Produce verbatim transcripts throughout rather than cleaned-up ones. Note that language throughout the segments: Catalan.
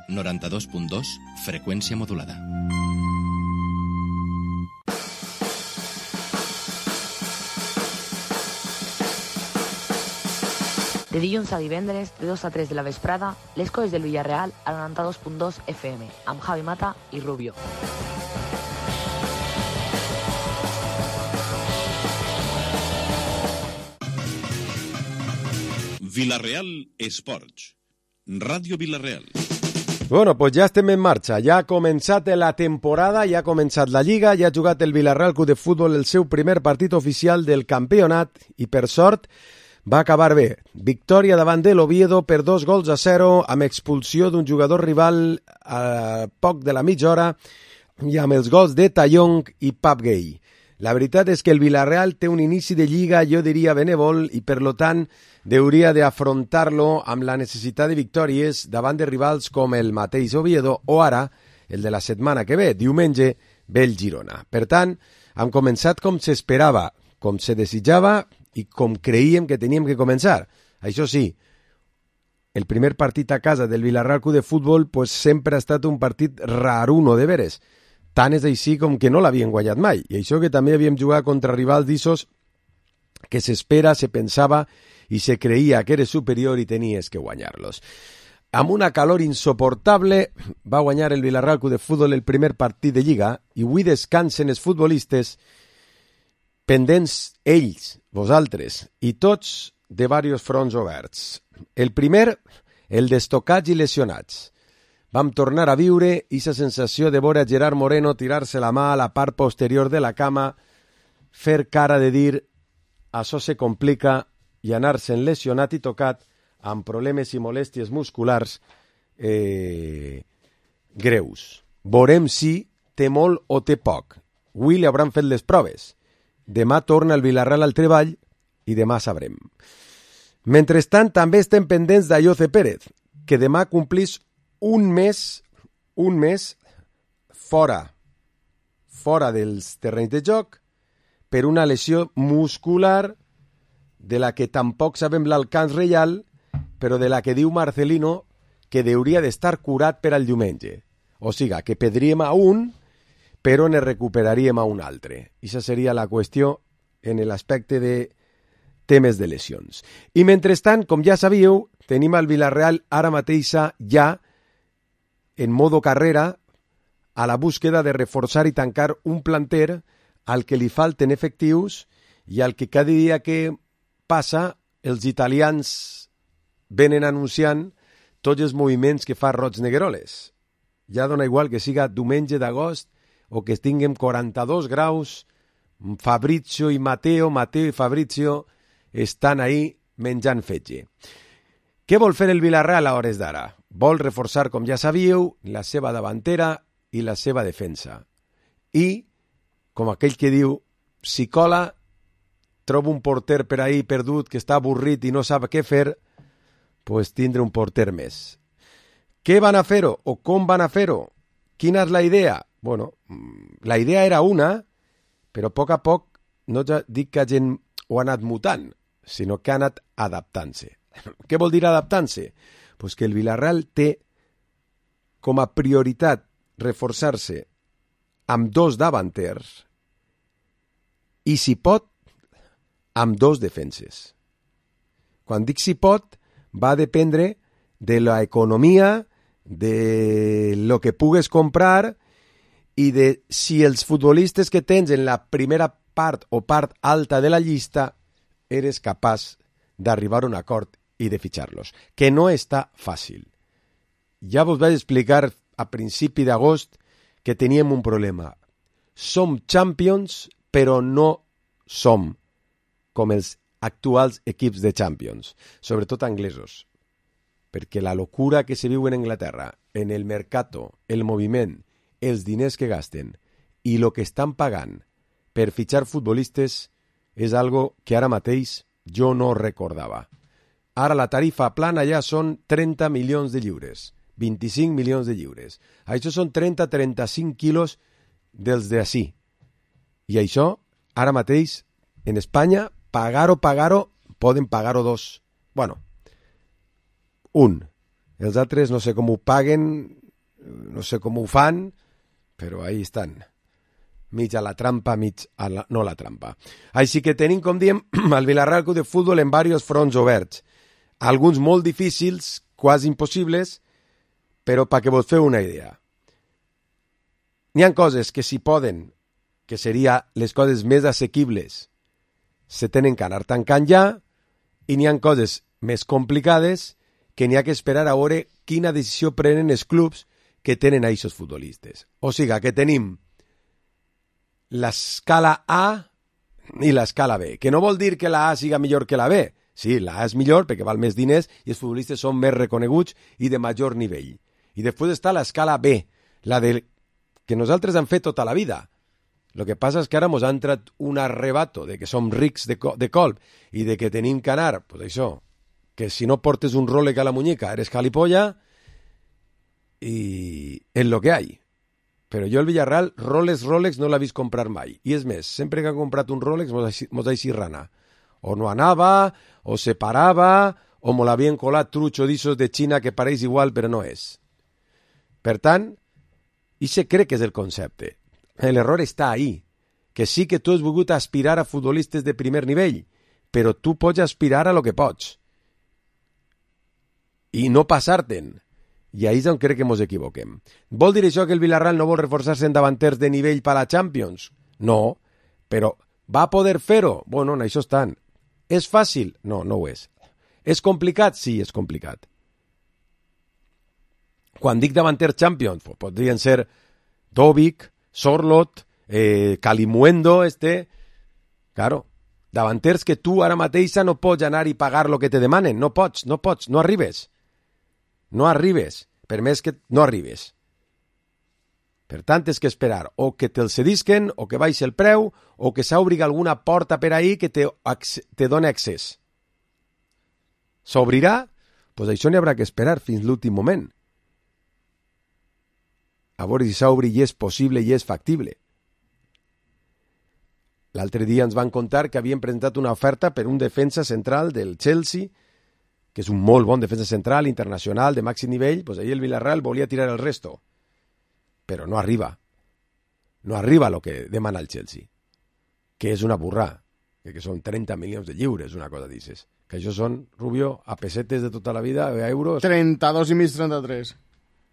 noranta-dos punt dos, freqüència modulada. De dilluns a divendres, de dos a tres de la vesprada, les coses del Villarreal a noranta-dos punt dos F M, amb Javi Mata i Rubio. Villarreal Esports, Ràdio Villarreal. Bueno, pues ja estem en marxa, ja ha començat la temporada, ja ha començat la Lliga, ja ha jugat el Villarreal Club de Futbol el seu primer partit oficial del campionat i, per sort, va acabar bé. Victòria davant de l'Oviedo per dos gols a zero, amb expulsió d'un jugador rival a poc de la mitja hora i amb els gols de Tallong i Pap Gay. La veritat és que el Villarreal té un inici de Lliga, jo diria, benèvol, i per lo tant hauria d'afrontar-lo amb la necessitat de victòries davant de rivals com el mateix Oviedo o ara, el de la setmana que ve, diumenge, ve el Girona. Per tant, hem començat com s'esperava, com se desitjava i com creíem que teníem que començar. Això sí, el primer partit a casa del Villarreal Club de Futbol pues, sempre ha estat un partit raruno de veres. Tant és així com que no l'havien guanyat mai. I això que també havíem jugat contra rivals d'Issos que s'espera, se pensava i se creia que eres superior i tenies que guanyar-los. Amb una calor insoportable va guanyar el Villarreal Club de Futbol el primer partit de Lliga i avui descansen els futbolistes pendents ells, vosaltres, i tots de diversos fronts oberts. El primer, el d'estocats i lesionats. Vam tornar a viure aquesta sensació de veure a Gerard Moreno tirar-se la mà a la part posterior de la cama, fer cara de dir això se complica i anar-se'n lesionat i tocat amb problemes i molèsties musculars eh, greus. Veurem si té molt o té poc. Avui li hauran fet les proves. Demà torna el Villarreal al treball i demà sabrem. Mentrestant, també estem pendents d'Ayoce Pérez, que demà complís un mes, un mes fora, fora dels terrenys de joc per una lesió muscular de la que tampoc sabem l'alcance real, però de la que diu Marcelino que hauria d'estar curat per al diumenge. O sigui, que perdríem a un, però ne recuperaríem a un altre. Aquesta seria la qüestió en l'aspecte de temes de lesions. I mentrestant, com ja sabíeu, tenim al Villarreal ara mateixa ja en modo carrera a la búsqueda de reforçar i tancar un planter al que li falten efectius i al que cada dia que passa els italians venen anunciant tots els moviments que fa Roig Negueroles. Ja dona igual que siga diumenge d'agost o que tinguem quaranta-dos graus, Fabrizio i Mateo, Mateo i Fabrizio estan ahí menjant fetge. Què vol fer el Villarreal a hores d'ara? Vol reforçar, com ja sabíeu, la seva davantera i la seva defensa. I, com aquell que diu, si cola, trobo un porter per ahí perdut que està avorrit i no sap què fer, pues tindre un porter més. Què van a fer-ho o com van a fer-ho? Quina és la idea? Bueno, la idea era una, però a poc a poc no ja dic que gent ho ha anat mutant, sinó que ha anat adaptant-se. Què vol dir adaptant-se? Pues que el Villarreal té com a prioritat reforçar-se amb dos davanters i, si pot, amb dos defenses. Quan dic si pot, va dependre de l'economia, de lo que pugues comprar i de si els futbolistes que tens en la primera part o part alta de la llista eres capaç d'arribar a un acord i de fitxar-los, que no està fàcil. Ja vos vaig explicar a principi d'agost que teníem un problema. Som champions, però no som com els actuals equips de Champions, sobretot anglesos, perquè la locura que se viu en Anglaterra, en el mercato, el moviment, els diners que gasten i el que estan pagant per fitxar futbolistes és algo que ara mateix jo no recordava. Ara la tarifa plana ja són trenta milions de lliures, vint-i-cinc milions de lliures. Això són trenta a trenta-cinc quilos dels d'ací. I això, ara mateix, en Espanya, pagar-ho, pagar-ho, poden pagar-ho dos. Bueno, un. Els altres no sé com ho paguen, no sé com ho fan, però ahí estan. Mig a la trampa, mig a la... no la trampa. Així que tenim, com diem, el Villarreal Club de Futbol en diversos fronts oberts. Alguns molt difícils, quasi impossibles, però perquè vos feu una idea. N'hi ha coses que si poden, que seria les coses més assequibles, se tenen que anar tancant ja, i n'hi ha coses més complicades que n'hi ha que esperar a veure quina decisió prenen els clubs que tenen a aquests futbolistes. O sigui, que tenim l'escala A i l'escala B, que no vol dir que la A siga millor que la B. Sí, la A és millor perquè val més diners i els futbolistes són més reconeguts i de major nivell. I després està l'escala B, la de que nosaltres hem fet tota la vida. Lo que passa és que ara mos ha entrat un arrebato de que som rics de, co de colp i de que tenim que anar, pues això, que si no portes un Rolex a la muñeca eres calipolla i és lo que hay. Però jo el Villarreal, Rolex, Rolex no l'ha vist comprar mai. I és més, sempre que ha comprat un Rolex mos ha eixit rana. O no anava, o se parava, o mo l'havien colat trucho d'issos de Xina que pareix igual però no és. Per tant, i se crec que és el concepte. L'error està ahí, que sí que tu has volgut aspirar a futbolistes de primer nivell, però tu pots aspirar a lo que pots. I no passar-te'n. I ahí és on crec que ens equivoquem. Vol dir això que el Villarreal no vol reforçar-se en davanters de nivell per a la Champions? No, però va poder fer-ho? Bueno, en això estan. És fàcil? No, no ho és. És complicat? Sí, és complicat. Quan dic davanters Champions, pues, podrien ser Dovic, Sorlot, eh, Calimuendo, este... Claro, davanters que tu ara mateixa no pots anar i pagar lo que te demanen. No pots, no pots, no arribes. No arribes, per més que no arribes. Per tant, és que esperar o que te'l cedisquen, o que baixi el preu, o que s'obri alguna porta per ahí que te, te doni accés. S'obrirà? Doncs pues això n'hi haurà que esperar fins l'últim moment. A veure si s'obri i és possible i és factible. L'altre dia ens van contar que havien presentat una oferta per un defensa central del Chelsea, que és un molt bon defensa central, internacional, de màxim nivell, doncs ahir el Villarreal volia tirar el resto. Però no arriba. No arriba el que demana el Chelsea. Que és una burrà. Que són trenta milions de lliures, una cosa dices. Que això són, Rubio, a pesetes de tota la vida, a euros... trenta-dos i mig, trenta-tres.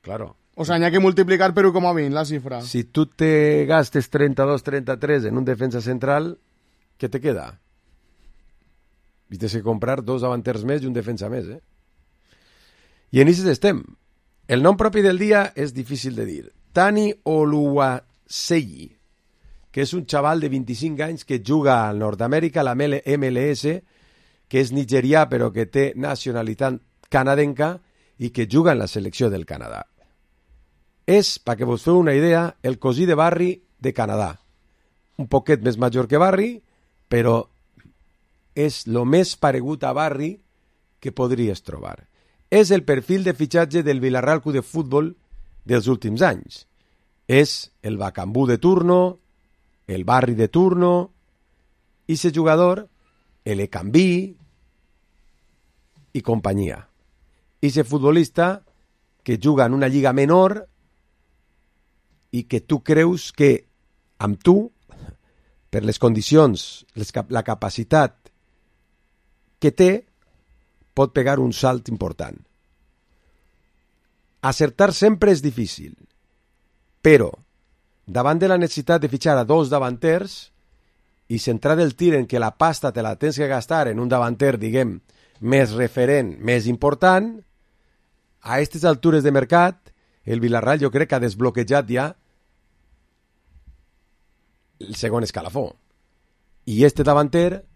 Claro. O sea, n'hi ha que multiplicar per u coma vint la xifra. Si tu te gastes trenta-dos trenta-tres en un defensa central, què te queda? Vistes que comprar dos davanters més i un defensa més, eh? I en aquests estem. El nom propi del dia és difícil de dir. Tani Oluwaseyi, que és un xaval de vint-i-cinc anys que juga al Nord-Amèrica, la M L S, que és nigerià però que té nacionalitat canadenca i que juga en la selecció del Canadà. És, perquè vos feu una idea, el cosí de Barry de Canadà. Un poquet més major que Barry, però és el més paregut a Barry que podries trobar. És el perfil de fitxatge del Villarreal Club de Futbol dels últims anys. És el Bacambú de turno, el Barry de turno, i ese jugador, el Ecambí i companyia. I ese futbolista que juga en una lliga menor i que tu creus que amb tu, per les condicions, les, la capacitat que té, pot pegar un salt important. Acertar sempre és difícil, però davant de la necessitat de fitxar a dos davanters i centrar el tir en que la pasta te la tens que gastar en un davanter, diguem, més referent, més important, a aquestes altures de mercat, el Villarreal jo crec que ha desbloquejat ja el segon escalafó. I este davanter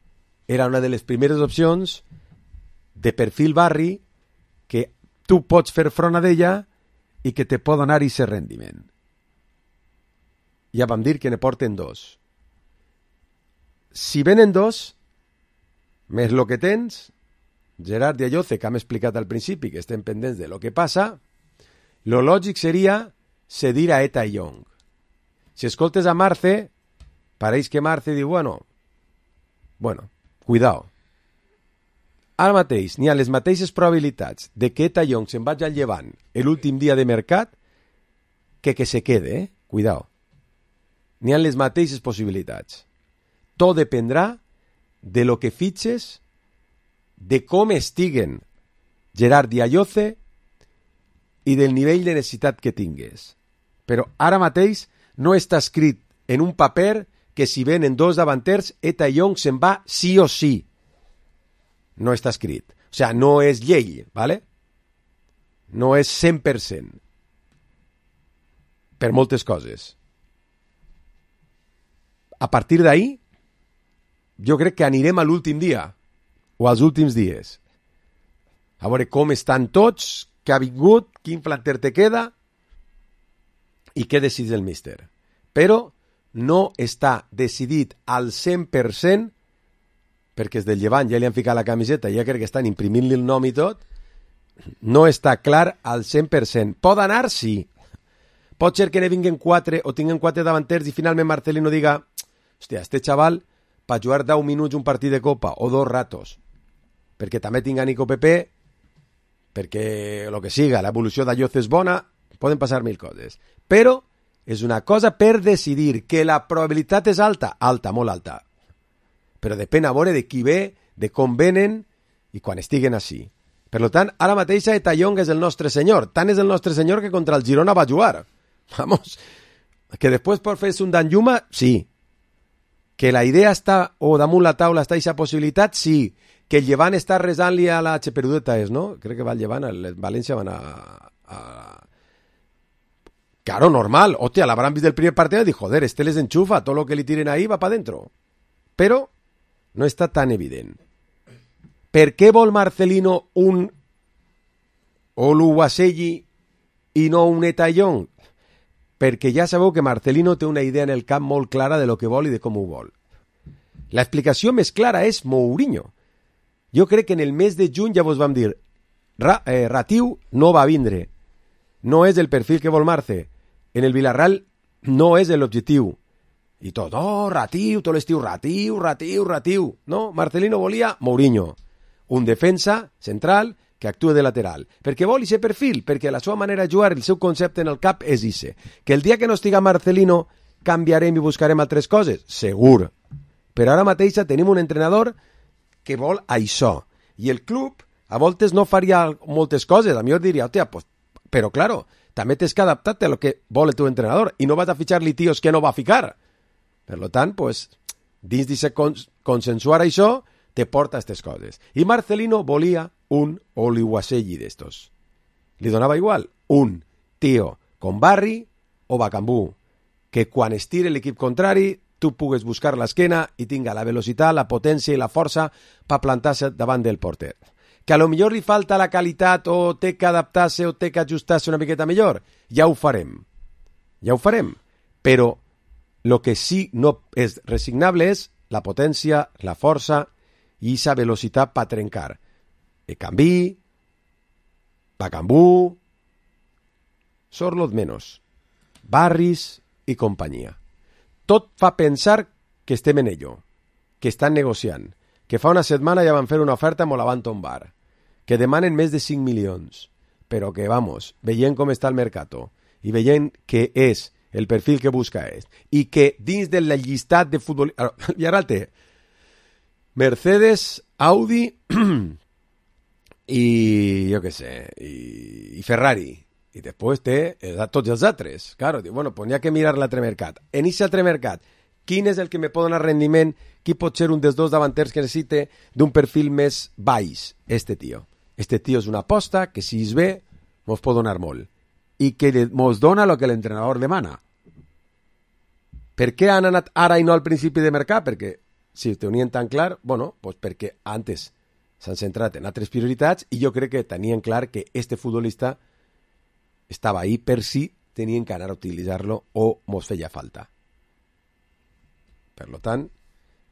era una de les primeres opcions de perfil Barry que tu pots fer front a d'ella i que te pot donar aquest rendiment. Ja vam dir que ne porten dos. Si venen dos, més lo que tens, Gerard i Ayoce, que hem explicat al principi, que estem pendents de lo que passa, lo lògic seria cedir a Eta i Young. Si escoltes a Marce, pareix que Marce diu, bueno, bueno, cuidao. ara mateix n'hi ha les mateixes probabilitats de que Eta Young se'n vagi al Llevant l'últim dia de mercat que que se quede, eh? Cuidao. N'hi ha les mateixes possibilitats. Tot dependrà de lo que fitxes, de com estiguen Gerard i Ayoce i del nivell de necessitat que tingues. Però ara mateix no està escrit en un paper que si venen dos davanters, Eta Young se'n va sí o sí. No està escrit. O sea, no és llei, ¿vale? No és cent per cent. Per moltes coses. A partir d'ahí, jo crec que anirem a l'últim dia, o als últims dies. A veure com estan tots, què ha vingut, quin planter te queda i què decideix el míster. Però no està decidit al cent per cent, perquè és del Llevant, ja li han ficat la camiseta, ja crec que estan imprimint-li el nom i tot, no està clar al cent per cent. Pot anar, sí. Pot ser que ne vinguen quatre o tinguen quatre davanters i finalment Marcelino diga, hòstia, este xaval per jugar deu minuts un partit de Copa o dos ratos, perquè també tinga Nico Pepe, perquè el que siga, l'evolució d'Ayoce és bona, poden passar mil coses. Però és una cosa per decidir, que la probabilitat és alta, alta, molt alta. Però depèn a veure de qui ve, de com venen i quan estiguen així. Per tant, ara mateix Eta Young és el nostre senyor. Tant és el nostre senyor que contra el Girona va jugar. Vamos, que després pot fer-se un Danjuma, sí. Que la idea està, o damunt la taula està aquesta possibilitat, sí. Que el Llevant està resant-li a la Xeperudeta, és, no? Crec que va el Llevant, el València van a... a... Claro, normal. Hòstia, l'habrán vist del primer partit i dir, joder, este les enxufa, tot lo que li tiren ahí va pa dentro. Però no està tan evident. Per què vol Marcelino un Oluwaseyi i no un Eta Young? Perquè ja sabeu que Marcelino té una idea en el camp molt clara de lo que vol i de com ho vol. L'explicació més clara és Mourinho. Jo crec que en el mes de juny ja vos vam dir Ra, eh, Ratiu no va vindre. No és el perfil que vol Marce. En el Villarreal no és l'objectiu. I tot, oh, Ratiu, tot l'estiu, Ratiu, Ratiu, Ratiu. No, Marcelino volia Mourinho. Un defensa central que actua de lateral. Perquè vol ese perfil, perquè la seva manera de jugar, el seu concepte en el cap és ese. Que el dia que no estiga Marcelino canviarem i buscarem altres coses? Segur. Però ara mateix tenim un entrenador que vol això. I el club a voltes no faria moltes coses. A mi jo diria, hòstia, pues, però claro, també tens que adaptar-te a lo que vol el teu entrenador i no vas a fichar-li tios que no va a ficar. Per tant, pues, dins d'aquest cons consensuar això, te porta aquestes coses. I Marcelino volia un Oluwaseyi d'estos. Li donava igual un tio con Barry o Bacambú, que quan estire l'equip contrari tu pugues buscar l'esquena i tinga la velocitat, la potència i la força per plantar-se davant del porter. Que a lo millor li falta la qualitat o té que adaptar-se o té que ajustar-se una miqueta millor, ja ho farem. Ja ho farem. Però el que sí no és resignable és la potència, la força i aquesta velocitat per trencar. Ekambi, Bacambú, Sorloth menos, Barris i companyia. Tot fa pensar que estem en ello, que estan negociant, que fa una setmana ja van fer una oferta amb la van tombar, que demanen més de cinc milions, però que, vamos, veient com està el mercato i veient que és el perfil que busca és, i que dins del llistat de futbol... I ara el té Mercedes, Audi i jo què sé, i, i Ferrari. I després té tots els altres. Claro, diu, bueno, pues n'hi ha que mirar l'altre mercat. En aquest altre mercat, quin és el que me pot donar rendiment? Qui pot ser un dels dos davanters que necessite d'un perfil més baix? Este tio. Este tio és una aposta que si es ve, mos pot donar molt. I que mos dona el que l'entrenador demana. Per què han anat ara i no al principi de mercat? Perquè, si ho tenien tan clar, bueno, pues perquè antes s'han centrat en altres prioritats i jo crec que tenien clar que este futbolista estava ahí per si tenien que anar a utilitzar-lo o mos feia falta. Per tant,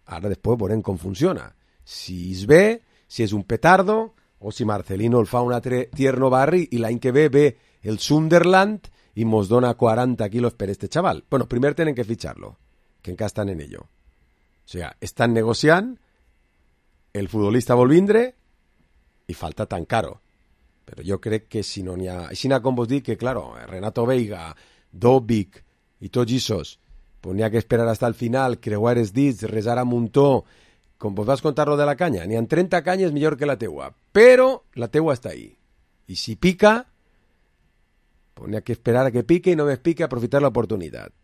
ara després veurem com funciona. Si es ve, si és un petardo, o si Marcelino el fa un altre tierno barri i l'any que ve ve el Sunderland i mos dona quaranta quilos per este chaval. Bueno, primer tenen que ficharlo, que encara estan en ello. O sigui, estan negociant, el futbolista vol vindre, i falta tan caro. Però jo crec que si no n'hi ha... Així com vos dic que, claro, Renato Veiga, Dobic i tots aquests, pues n'hi ha que esperar hasta el final, creuar els dits, resar a muntó, com vos vas contar lo de la canya. N'hi ha trenta canyes millor que la teua, però la teua està ahí. I si pica, pues n'hi ha que esperar a que pique i no més pique, aprofitar l'oportunitat.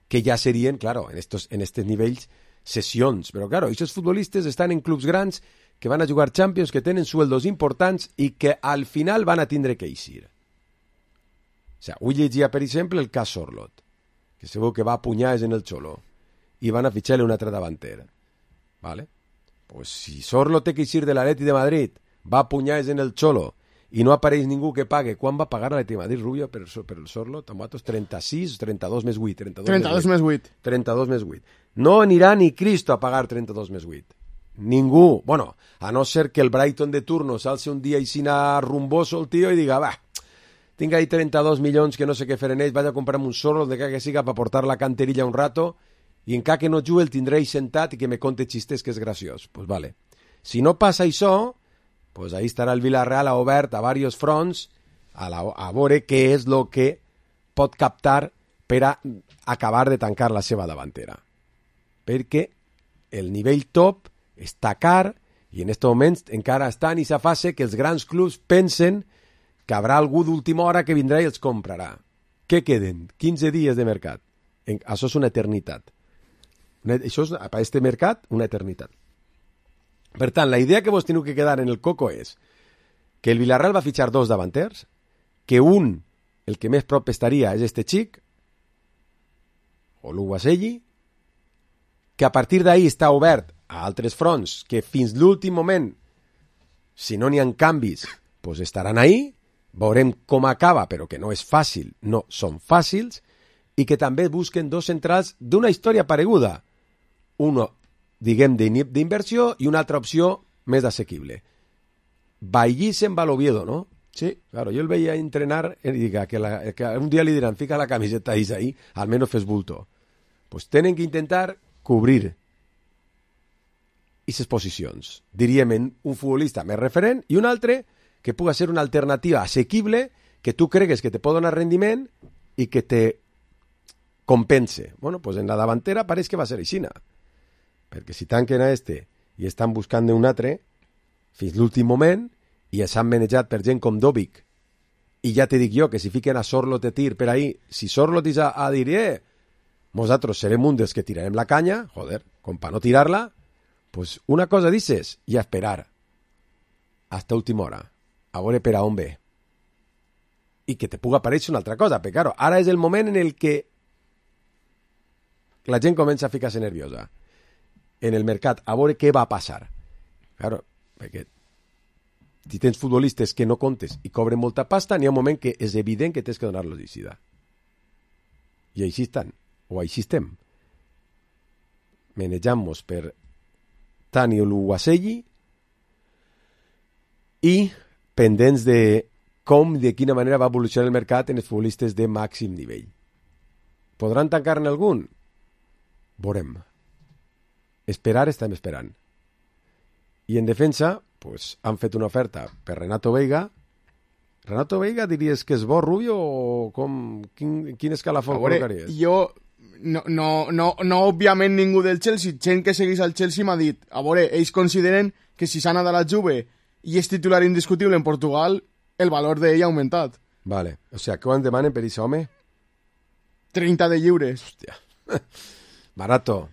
Que ja serien, claro, en estos, en estos nivells, sessions. Però, claro, aquests futbolistes estan en clubs grans que van a jugar Champions, que tenen sueldos importants i que al final van a tindre que eixir. O sea, avui llegia, per exemple, el cas Sorloth, que segur que va a punyades en el Cholo, i van a fitxar-li un altre davanter. ¿Vale? Pues si Sorloth té que eixir de l'Atleti de Madrid, va a punyades en el Cholo, i no apareix ningú que pague, quan va pagar l'Atleti de Madrid, Rubio, per, per el Sorloth? Amb votos trenta-sis, trenta-dos més vuit. trenta-dos més vuit. trenta-dos més vuit. No anirà ni Cristo a pagar trenta-dos més vuit. Ningú. Bueno, a no ser que el Brighton de turno s'alce un dia i sina rumboso el tio i diga, va, tinc ahí trenta-dos milions que no sé què fer en ells, vaig a comprar-me un Sorloth de que siga per portar la canterilla un rato i encara que no jugui el tindré sentat i que me conte xistes que és graciós. Pues vale. Si no passa això, pues ahí estarà el Villarreal obert a varios fronts a, la, a veure què és el que pot captar per a acabar de tancar la seva davantera. Perquè el nivell top està car i en aquest moment encara està en aquesta fase que els grans clubs pensen que haurà algú d'última hora que vindrà i els comprarà. Què queden? quinze dies de mercat. Això és una eternitat. Això és, per a aquest mercat, una eternitat. Per tant, la idea que vos teniu que quedar en el coco és que el Villarreal va fitxar dos davanters, que un, el que més prop estaria, és este xic, o l'Uguaselli, que a partir d'ahí està obert a altres fronts, que fins l'últim moment, si no n'hi ha canvis, pues estaran ahí, veurem com acaba, però que no és fàcil, no són fàcils, i que també busquen dos centrals d'una història pareguda. Uno, diguem, d'inversió i una altra opció més assequible. Bailly se'n va a l'Oviedo, ¿no? Sí, claro, yo el veía entrenar y diga que, la, que un día le dirán, fica la camiseta ahí, al menos fes bulto. Pues tienen que intentar cubrir aquestes posicions. Diríem un futbolista més referent i un altre que puga ser una alternativa assequible que tu cregues que te pot donar rendiment i que te compense. Bueno, pues en la davantera pareix que va ser aixina. Perquè si tanquen a este i estan buscant un altre fins l'últim moment i s'han manejat per gent com Dobic i ja te dic jo que si fiquen a Sorloth de tir per ahí, si Sorloth és a, a dir eh, nosaltres serem un dels que tirarem la canya, joder, com per no tirar-la, pues una cosa dices i a esperar hasta última hora a veure per a on ve i que te puga aparèixer una altra cosa, perquè claro, ara és el moment en el que la gent comença a ficar-se nerviosa en el mercat, a veure què va passar. Claro, perquè si tens futbolistes que no comptes i cobren molta pasta, n'hi ha un moment que és evident que tens que donar-los d'eixida. I així estan, o així estem. Manejant-nos per Tani Oluwaseyi i pendents de com i de quina manera va evolucionar el mercat en els futbolistes de màxim nivell. Podran tancar-ne algun? Veurem. Esperar estem esperant. I en defensa, pues, han fet una oferta per Renato Veiga. Renato Veiga diries que és bo, Rubio, o com, quin, quin escalafó col·locaries? Jo, no, no, no, no òbviament ningú del Chelsea, gent que segueix al Chelsea m'ha dit, a veure, ells consideren que si s'ha anat a la Juve i és titular indiscutible en Portugal, el valor d'ell ha augmentat. Vale, o sea, què en demanen per aquest home? trenta de lliures. Hòstia, barato.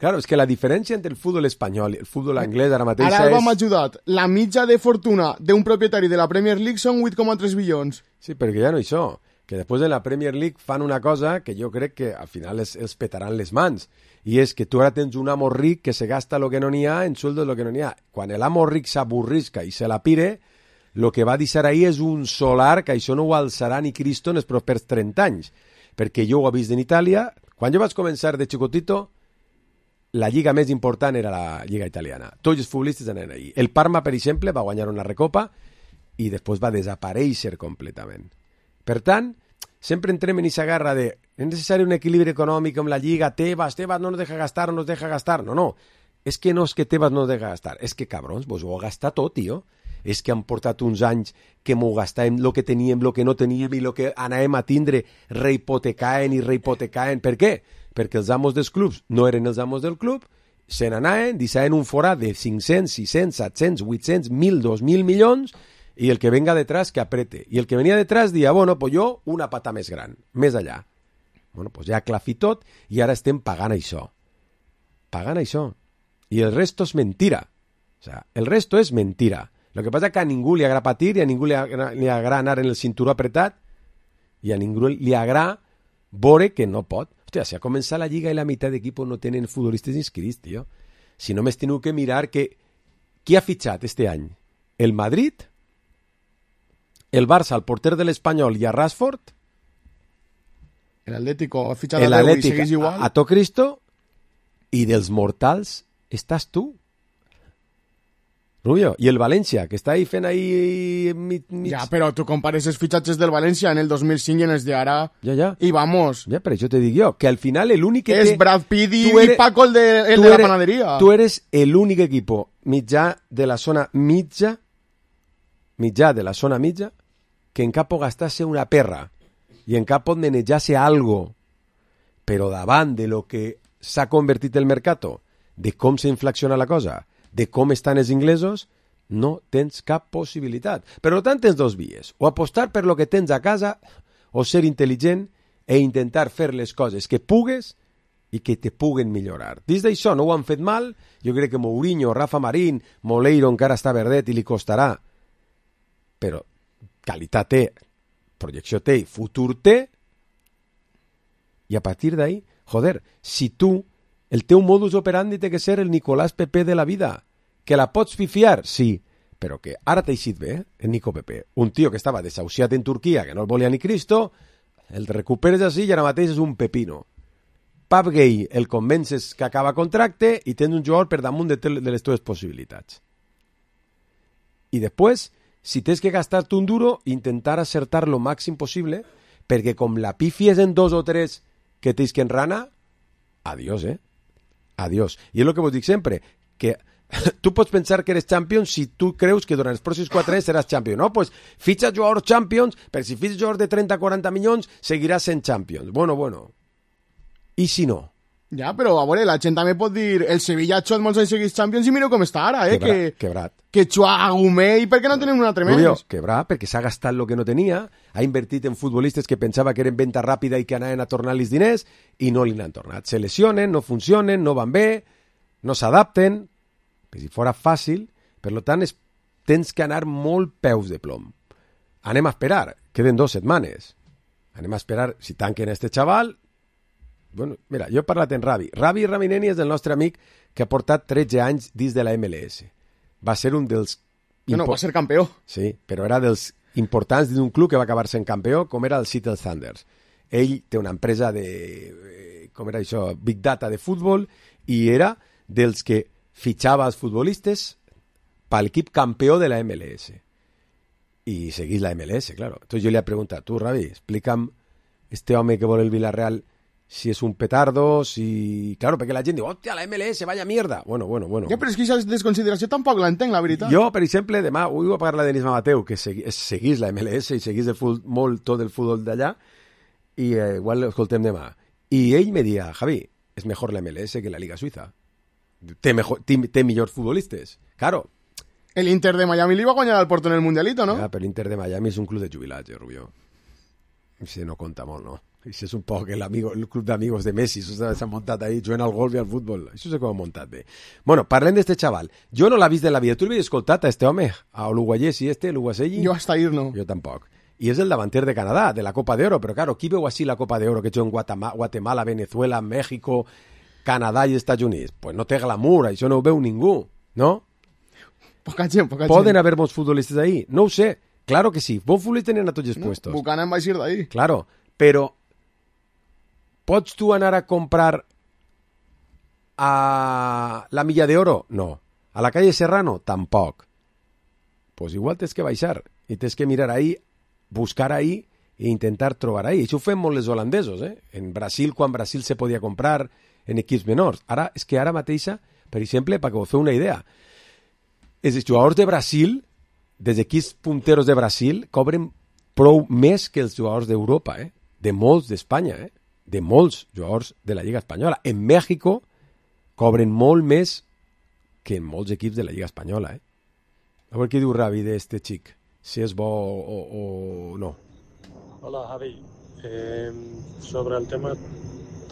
Claro, és que la diferència entre el futbol espanyol i el futbol anglès ara mateix Ara és... hem ajudat. La mitja de fortuna d'un propietari de la Premier League són vuit coma tres bilions. Sí, perquè ja no això. Que després de la Premier League fan una cosa que jo crec que al final els, els petaran les mans. I és que tu ara tens un amo ric que se gasta lo que no n'hi ha en sueldos lo que no n'hi ha. Quan l'amo ric s'avorrisca i se la pire, lo que va deixar ahí és un solar que això no ho alçarà ni Cristo en els propers trenta anys. Perquè jo ho he vist en Itàlia. Quan jo vaig començar de xicotito, la lliga més important era la lliga italiana. Tots els futbolistes anaven ahí. El Parma, per exemple, va guanyar una recopa i després va desaparèixer completament. Per tant, sempre entrem en aquesta garra de és necessari un equilibri econòmic amb la lliga, Tebas, Tebas no nos deja gastar, no nos deja gastar. No, no, és que no és que Tebas no nos deja gastar, és que, cabrons, vos ho heu gastat tot, tio. és que han portat uns anys que m'ho gastàvem, el que teníem, el que no teníem i el que anàvem a tindre, rehipotecaen i rehipotecaen. Per què? Perquè els amos dels clubs no eren els amos del club, se n'anaven, deixaven un forat de cinc-cents, sis-cents, set-cents, vuit-cents, mil, dos mil milions, i el que venga detrás que aprete. I el que venia detrás dia, bueno, pues jo una pata més gran, més allà. Bueno, pues ja clafi tot i ara estem pagant això. Pagant això. I el resto és mentira. O sea, el resto és mentira. Lo que pasa es que a ningú li agrada patir i a ningú li agrada, li agrada anar en el cinturó apretat i a ningú li agrada veure que no pot. Hòstia, si ha començat la lliga i la meitat d'equipos no tenen futbolistes inscrits, tio. Si no m'és tingut que mirar que... Qui ha fitxat este any? El Madrid, el Barça, el porter de l'Espanyol i a Rashford, el Atlético ha fitxat el a deu i Atlético segueix igual. a, a to Cristo, i dels mortals estàs tu. Rubio, i el València, que està ahí fent ahí... Mig, mig... Ja, però tu compares els fitxatges del València en el dos mil cinc i en els d'ara... Ja, ja. I vamos. Ja, però això te dic jo, que al final l'únic que És té... Brad Pitt i, eres, i Paco el de, el tu de la eres, panadería. Tu eres l'únic equipo mitjà de la zona mitja, mitjà de la zona mitja, que en cap pot gastar-se una perra i en cap pot manejar-se algo, però davant de lo que s'ha convertit el mercato, de com s'inflaciona la cosa, de com estan els inglesos, no tens cap possibilitat. Per tant, tens dos vies. O apostar per lo que tens a casa, o ser intel·ligent e intentar fer les coses que pugues i que te puguen millorar. Dins d'això no ho han fet mal. Jo crec que Mourinho, Rafa Marín, Moleiro encara està verdet i li costarà. Però qualitat té, projecció té i futur té. I a partir d'ahí, joder, si tu el teu modus operandi té que ser el Nicolás Pepe de la vida. Que la pots pifiar? Sí. Però que ara t'ha eixit bé, eh? El Nico Pepe. Un tio que estava desahuciat en Turquia, que no el volia ni Cristo, el recuperes així i ara mateix és un pepino. Pap Gay el convences que acaba contracte i tens un jugador per damunt de, de les teves possibilitats. I després, si tens que gastar-te un duro, intentar acertar lo màxim possible, perquè com la pifies en dos o tres que tens que enrana, adiós, eh? Adiós. I és el que vos dic sempre, que tu pots pensar que eres champion si tu creus que durant els pròxims quatre anys seràs champion. No, pues fitxa jugadors champions, però si fitxes jugadors de trenta a quaranta milions, seguiràs sent champions. Bueno, bueno. I si no? Ja, però a veure, la gent també pot dir el Sevilla ha xuat molts anys seguits champions i mireu com està ara, eh? Quebrat, que, quebrat. Que xua a Gumé i per què no tenen un altre més? Rubio, quebrat, perquè s'ha gastat el que no tenia, ha invertit en futbolistes que pensava que eren venda ràpida i que anaven a tornar-los diners i no li n'han tornat. Se lesionen, no funcionen, no van bé, no s'adapten. Si fora fàcil, per tant, es, tens que anar molt peus de plom. Anem a esperar, queden dues setmanes. Anem a esperar si tanquen este xaval. Bueno, mira, jo he parlat en Ravi. Ravi Ramineni és el nostre amic que ha portat tretze anys dins de la M L S. Va ser un dels... No, no, va ser campió. Sí, però era dels importants d'un club que va acabar sent campió, com era el Seattle Sounders. Ell té una empresa de... com era això? Big Data de futbol, i era dels que fitxava els futbolistes per l'equip campió de la M L S. I seguís la M L S, claro. Entonces yo le he preguntado, tú, Ravi, explícame este home que vol el Villarreal si és un petardo, si... Claro, perquè la gent diu, hòstia, la M L S, vaya mierda. Bueno, bueno, bueno. Ja, però és que aquesta desconsideració tampoc l'entenc, la veritat. Jo, per exemple, demà, avui vull parlar de Denis Mamateu, que segui, seguís la M L S i seguís el futbol, molt tot el futbol d'allà, i eh, igual l'escoltem demà. I ell me dia, Javi, és mejor la M L S que la Liga Suiza. Té, mejor, té, té millors futbolistes. Claro. El Inter de Miami li va guanyar al Porto en el Mundialito, no? Ja, però l'Inter de Miami és un club de jubilats, eh, Rubio. Si no compta molt, no? Això és un poc el, amigo, el club d'amigos de Messi, això s'ha muntat ahí, jugant al golf i al futbol. Això és com ha muntat bé. Bueno, parlem d'este xaval. Jo no l'ha vist de la vida. Tu l'havies escoltat a este home? A l'uruguayès i este, l'uruguaselli? Jo hasta ir no. Jo tampoc. I és el davanter de Canadà, de la Copa d'Oro. Però, claro, qui veu així la Copa d'Oro que juga en Guatemala, Guatemala, Venezuela, México, Canadà i Estats Units? Pues no té glamour, això no ho veu ningú, no? Poca gent, poca gent. Poden haver bons futbolistes ahí? No ho sé. Claro que sí. Bons futbolistes tenen a tots els no, puestos. Buchanan va eixir d'ahí. Claro, però pots tu anar a comprar a la Milla de Oro? No. A la calle Serrano? Tampoc. Pues igual tens que baixar i tens que mirar ahí, buscar ahí e intentar trobar ahí. Això ho fem molt els holandesos, eh? En Brasil, quan Brasil se podia comprar en equips menors. Ara, és que ara mateixa, per exemple, perquè vos feu una idea, els jugadors de Brasil dels equips punteros de Brasil cobren prou més que els jugadors d'Europa, eh? De molts d'Espanya, eh? De molts jugadors de la Lliga Espanyola. En Mèxico cobren molt més que en molts equips de la Lliga Espanyola, eh? A veure què diu Ravi d'este xic, si és bo o, o no. Hola, Javi. Eh, sobre el tema,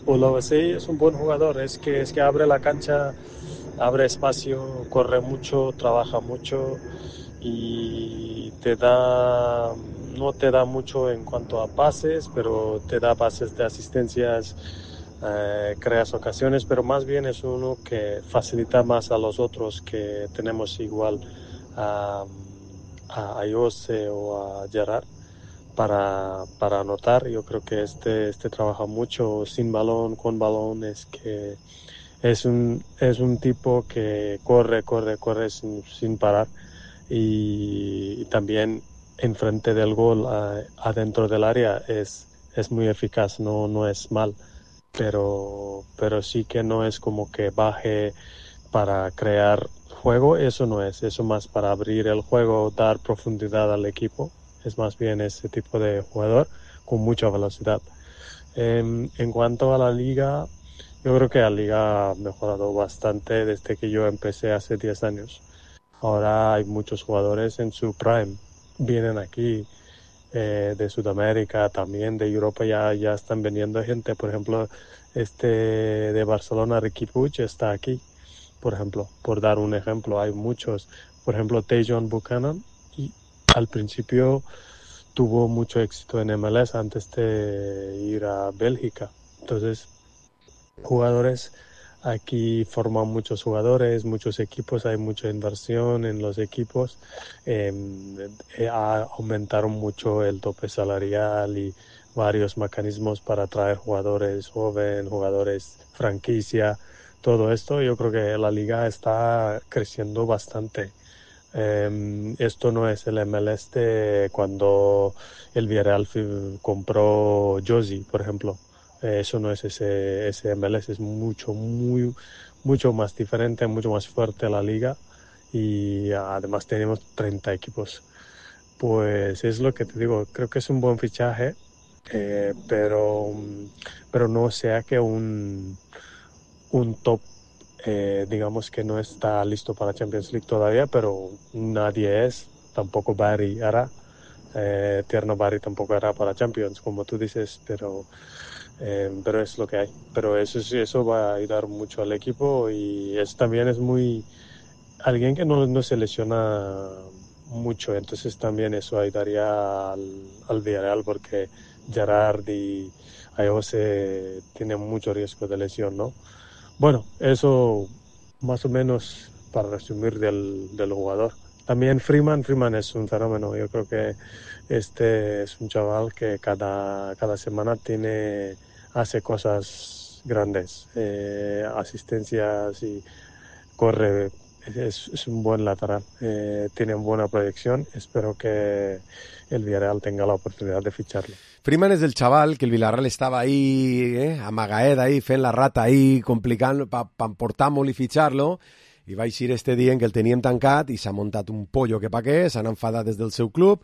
Ulloa sí es un buen jugador, es que, es que abre la cancha, abre espacio, corre mucho, trabaja mucho y te da, no te da mucho en cuanto a pases, pero te da pases de asistencias, eh, creas ocasiones, pero más bien es uno que facilita más a los otros que tenemos igual a, a Ayose o a Gerard. Para, para anotar. Yo creo que este, este trabaja mucho sin balón, con balón, es que es un, es un tipo que corre, corre, corre sin, sin parar y, y también enfrente del gol, a, adentro del área, es, es muy eficaz, no, no es mal, pero, pero sí que no es como que baje para crear juego, eso no es, eso más para abrir el juego, dar profundidad al equipo. Es más bien ese tipo de jugador con mucha velocidad. Eh, en cuanto a la liga, yo creo que la liga ha mejorado bastante desde que yo empecé hace diez años. Ahora hay muchos jugadores en su prime. Vienen aquí eh, de Sudamérica, también de Europa, ya, ya están viniendo gente. Por ejemplo, este de Barcelona, Riqui Puig, está aquí. Por ejemplo, por dar un ejemplo, hay muchos. Por ejemplo, Tajon Buchanan. Al principio tuvo mucho éxito en M L S antes de ir a Bélgica. Entonces, jugadores, aquí forman muchos jugadores, muchos equipos, hay mucha inversión en los equipos. Eh, eh, aumentaron mucho el tope salarial y varios mecanismos para atraer jugadores jóvenes, jugadores franquicia, todo esto. Yo creo que la liga está creciendo bastante. Eh, esto no es el M L S de cuando el Villarreal compró Josie, por ejemplo. Eh, eso no es ese, ese M L S, es mucho, muy, mucho más diferente, mucho más fuerte la liga y además tenemos treinta equipos. Pues es lo que te digo, creo que es un buen fichaje, eh, pero, pero no sea que un, un top. Eh, digamos que no está listo para Champions League todavía, pero nadie es, tampoco Barry hará, eh, Tierno Barry tampoco hará para Champions, como tú dices, pero, eh, pero es lo que hay. Pero eso, eso va a ayudar mucho al equipo y es, también es muy, alguien que no, no se lesiona mucho, entonces también eso ayudaría al, al Villarreal porque Gerard y Ayose tienen mucho riesgo de lesión, ¿no? Bueno, eso más o menos para resumir del, del jugador. También Freeman, Freeman es un fenómeno. Yo creo que este es un chaval que cada, cada semana tiene, hace cosas grandes, eh, asistencias y corre. Es, es un buen lateral, eh, tiene buena proyección. Espero que el Villarreal tenga la oportunidad de ficharlo. Freeman és el xaval que el Villarreal estava ahí, eh, amagaet ahí, fent la rata ahí, complicant per pa portar molt i fitxar-lo, i va eixir este dient que el teníem tancat i s'ha muntat un pollo que pa què, s'han enfadat des del seu club,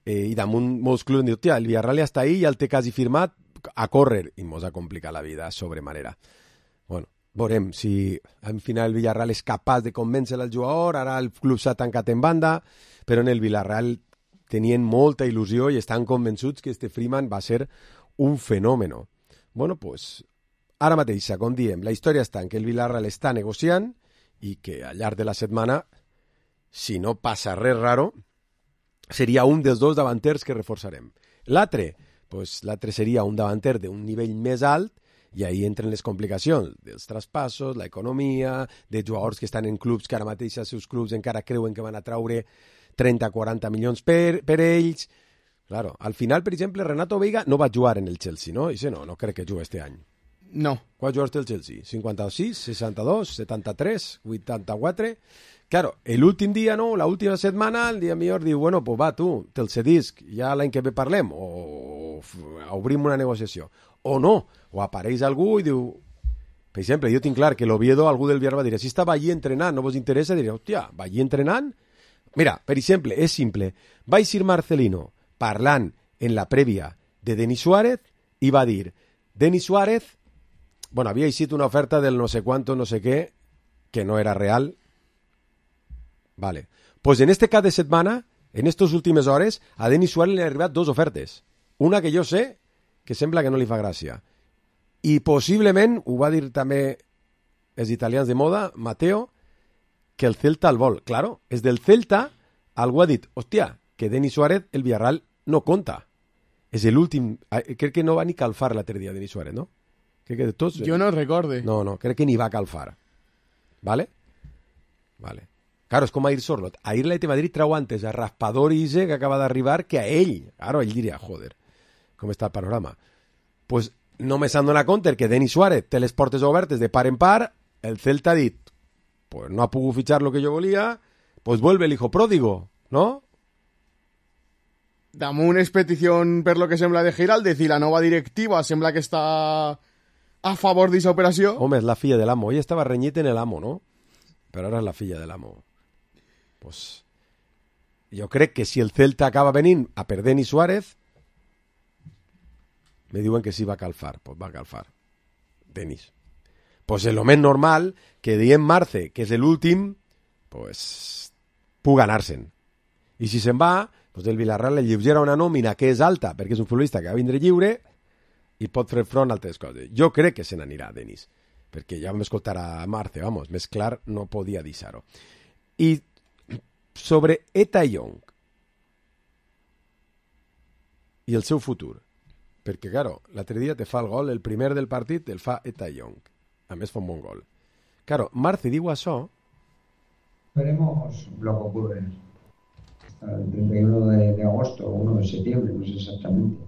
eh, i damunt molts clubs han dit, tia, el Villarreal ja està ahí, ja el té quasi firmat, a córrer, i mos ha complicat la vida sobremanera. Bueno, veurem si al final el Villarreal és capaç de convèncer el jugador, ara el club s'ha tancat en banda, però en el Villarreal tenien molta il·lusió i estan convençuts que este Freeman va ser un fenomen. Bueno, pues, ara mateixa, com diem, la història està en que el Villarreal està negociant i que al llarg de la setmana, si no passa res raro, seria un dels dos davanters que reforçarem. L'altre, pues, l'altre seria un davanter d'un nivell més alt i ahí entren les complicacions dels traspassos, l'economia, de jugadors que estan en clubs que ara mateix els seus clubs encara creuen que van a traure trenta a quaranta milions per, per ells. Claro, al final, per exemple, Renato Veiga no va jugar en el Chelsea, no? I no, no crec que jugui este any. No. Quants jugadors té el Chelsea? cinquanta-sis, seixanta-dos, setanta-tres, vuitanta-quatre... Claro, l'últim dia, no? L'última setmana, el dia millor diu, bueno, pues va, tu, te'l cedisc, ja l'any que ve parlem, o, o obrim una negociació. O no, o apareix algú i diu... Per exemple, jo tinc clar que l'Oviedo, algú del Villarreal va dir, si estava allí entrenant, no vos interessa? Diria, hòstia, va allí entrenant? Mira, per exemple, és simple. Va eixir Marcelino parlant en la prèvia de Denis Suárez i va dir, Denis Suárez, bueno, havia eixit una oferta del no sé quanto, no sé què, que no era real. Vale. Pues en este cap de setmana, en estas últimes hores, a Denis Suárez li han arribat dos ofertes. Una que jo sé que sembla que no li fa gràcia. I possiblement, ho va dir també els italians de moda, Mateo, que el Celta el vol. Claro, és del Celta, algú ha dit, hòstia, que Denis Suárez, el Villarreal, no compta. És l'últim... Crec que no va ni calfar l'altre dia Denis Suárez, no? Crec que de tots... Jo no recorde. No, no, crec que ni va calfar. ¿Vale? Vale. Claro, és com a ir Sorlot. A ir l'Atlètic de Madrid trau antes a Raspador i Ise, que acaba d'arribar, que a ell. Claro, ell diria, joder, com està el panorama. Pues només s'han donat compte que Denis Suárez té les portes obertes de par en par, el Celta ha dit, pues no ha pogut fitxar lo que jo volia, pues vuelve el hijo pródigo, ¿no? Damunt és petició per lo que sembla de Giraldez i la nova directiva sembla que està a favor d'aquesta operació. Home, és la filla de l'amo. Ella estava renyit en el amo, no? Però ara és la filla de l'amo. Pues jo crec que si el Celta acaba venint a per Denis Suárez, me diuen que sí va a calfar. Pues va a calfar. Denis. Pues és lo més normal que dient Marce, que és l'últim, pues pugui anar-se'n. I si se'n va, pues el Villarreal le lleugera una nòmina que és alta, perquè és un futbolista que va vindre lliure i pot fer front a altres coses. Jo crec que se n'anirà, Denis, perquè ja vam escoltar a Marce, vamos, més clar no podia deixar-ho. I sobre Eta Young i el seu futur, perquè, claro, l'altre dia te fa el gol, el primer del partit el fa Eta Young, a més fa un bon gol. Claro, Marce diu això. Veremos lo que ocurre hasta el treinta y uno de, de agosto o uno de septiembre, no sé exactamente.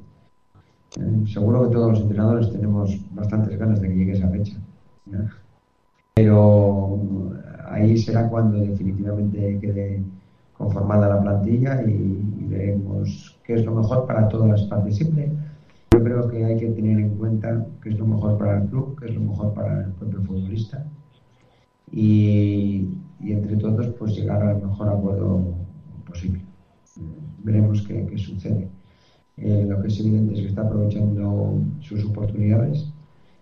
Eh, seguro que todos los entrenadores tenemos bastantes ganas de que llegue esa fecha, ¿no? Pero ahí será cuando definitivamente quede conformada la plantilla y, y veremos qué es lo mejor para todas las partes. Siempre yo creo que hay que tener en cuenta qué es lo mejor para el club, qué es lo mejor para el propio futbolista y, y entre todos pues llegar al mejor acuerdo posible. Veremos qué, qué sucede. Eh, lo que es evidente es que está aprovechando sus oportunidades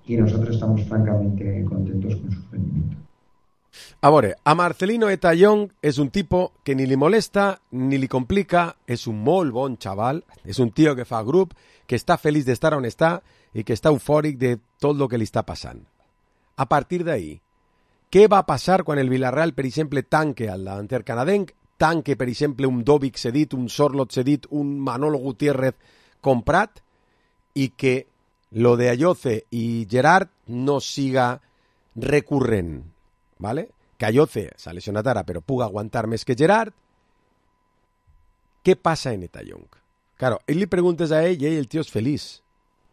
y nosotros estamos francamente contentos con su rendimiento. A veure, a Marcelino Eta Young és un tipo que ni li molesta ni li complica, és un molt bon xaval, és un tio que fa grup, que està feliç d'estar on està i que està eufòric de tot el que li està passant. A partir d'ahí, què va passar quan el Villarreal, per exemple, tanque al davanter canadenc, tanque, per exemple, un Dobic cedit, un Sorlot cedit, un Manolo Gutiérrez comprat, i que lo de Ayoce i Gerard no siga recurrent, ¿vale? Que Ayoce s'ha lesionat ara, però puga aguantar més que Gerard. Què passa en Eta Young? Claro, ell li preguntes a ell i ell, el tio és feliç.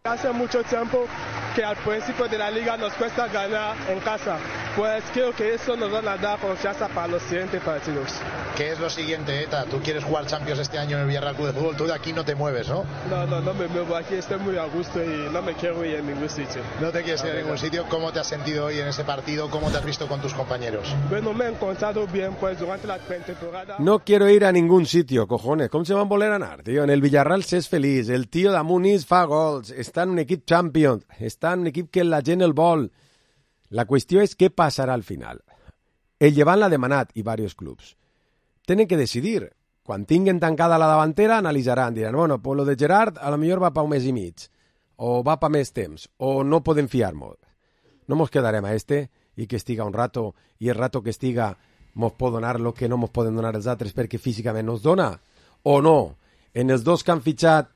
Hace mucho tiempo que al principio de la liga nos cuesta ganar en casa. Pues creo que eso nos va a dar confianza para los siguientes partidos. ¿Qué es lo siguiente, Eta? Tú quieres jugar Champions este año en el Villarreal Club de Fútbol, tú de aquí no te mueves, ¿no? No, no, no me muevo aquí, estoy muy a gusto y no me quiero ir en ningún sitio. No te quieres ir a ningún sitio. ¿Cómo te has sentido hoy en ese partido? ¿Cómo te has visto con tus compañeros? Bueno, me he encontrado bien, pues durante la pretemporada... No quiero ir a ningún sitio, cojones. Com se van voler anar, tio? En el Villarreal s'és feliç. El tio d'Amunis fa gols. Està en un equip champion. Està en un equip que la gent el vol. La qüestió és què passarà al final. El Llevant l'ha demanat i diversos clubs. Tenen que decidir. Quan tinguen tancada la davantera, analitzaran. Diran, bueno, pues lo de Gerard a lo millor va pa un mes i mig. O va pa més temps. O no podem fiar-nos. No mos quedarem a este i que estiga un rato i el rato que estiga mos pot donar lo que no mos poden donar els altres perquè físicament nos dona. O no. En els dos que han fitxat,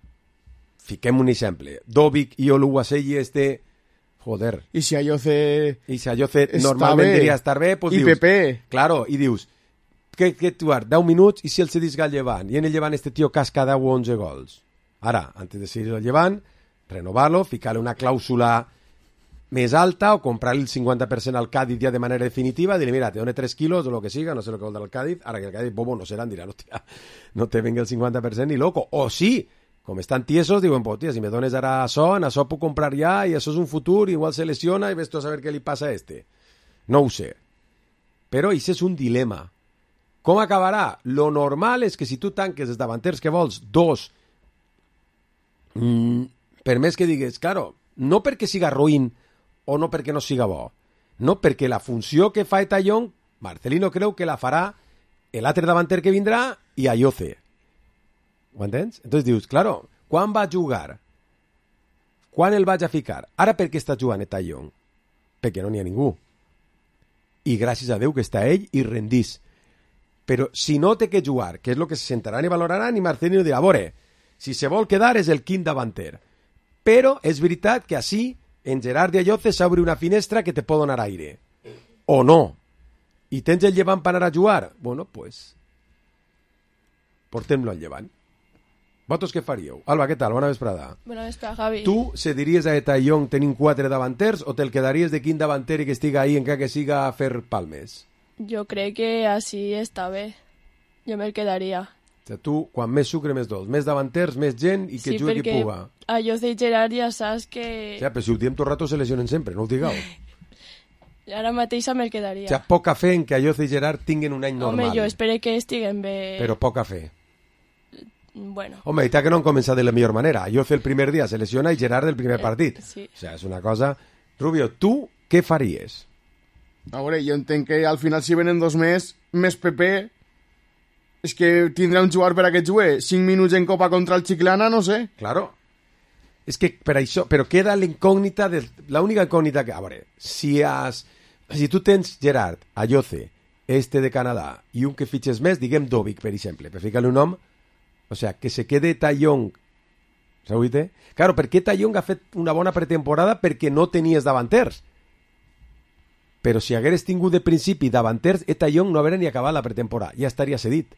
fiquem un exemple. Dobic i Oluwaseyi este... Joder. I si Ayoce... I si Ayoce normalment diria estar bé, pues I dius... Pepe. Claro, i dius... Que, que tu ara, deu minuts i si el cedisca al Llevant. I en el Llevant este tio casca deu o onze gols. Ara, antes de seguir el Llevant, renovar-lo, ficar-le una clàusula més alta o comprar-li el cinquanta per cent al Cádiz ja de manera definitiva, dir-li, mira, te done tres quilos o lo que siga, no sé lo que vol dar el Cádiz, ara que el Cádiz, bobo, no seran, dirà, hòstia, no te venga el cinquanta per cent ni loco. O sí, com estan tiesos, diuen, pues, tia, si me dones ara això, en això puc comprar ja, i això és un futur, igual se lesiona, i ves tu a saber què li passa a este. No ho sé. Però això és un dilema. Com acabarà? Lo normal és que si tu tanques els davanters que vols, dos, mm, per més que digues, claro, no perquè siga ruïn o no perquè no siga bo, no, perquè la funció que fa Etayón, Marcelino creu que la farà l'altre davanter que vindrà i Ayoce. Ho entens? Entonces dius, claro, quan va jugar? Quan el vaig a ficar? Ara per què està jugant Etayón? Perquè no n'hi ha ningú. I gràcies a Déu que està ell i rendís. Però si no té que jugar, que és el que se sentaran i valoraran, i Marcelino dirà, a veure, si se vol quedar és el quint davanter. Però és veritat que així, en Gerard i Ayoce s'obre una finestra que te pot donar aire. O no. I tens el Llevant per anar a jugar? Bueno, pues, portem-lo al Llevant. Vosaltres què faríeu? Alba, què tal? Bona vesprada. Bona vesprada, Javi. Tu cediries a Etayón tenint quatre davanters o te'l quedaries de quin davanter i que estiga ahí encara que siga a fer palmes? Jo crec que així està bé. Jo me'l quedaria. O sigui, tu, quan més sucre, més dos. Més davanters, més gent i que sí, jugui qui puga. Sí, perquè Ayoce i Gerard ja saps que... O sigui, però si ho diem tot el rato se lesionen sempre, no ho digueu. Ara mateix me'l quedaria. O sigui, poca fe en que Ayoce i Gerard tinguin un any normal. Home, jo espero que estiguen bé. Però poca fe. Bueno. Home, i tal que no han començat de la millor manera. Ayoce el primer dia se lesiona i Gerard el primer partit. Eh, sí. O sigui, és una cosa... Rubio, tu què faries? A veure, jo entenc que al final si venen dos més, més P P, és que tindrà un jugador per a que jugui cinc minuts en Copa contra el Chiclana, no sé. Claro. És que per això... Però queda l'incògnita... De... L'única incògnita que... A veure, si has... Si tu tens Gerard, Ayoce, este de Canadà, i un que fitxes més, diguem Dovic, per exemple, per ficar-li un nom, o sea, que se quede Etayón. ¿S'ha oït? Claro, per què Etayón ha fet una bona pretemporada? Perquè no tenies davanters. Però si hagueres tingut de principi davanters, Etayón no hauria ni acabat la pretemporada. Ja estaria cedit.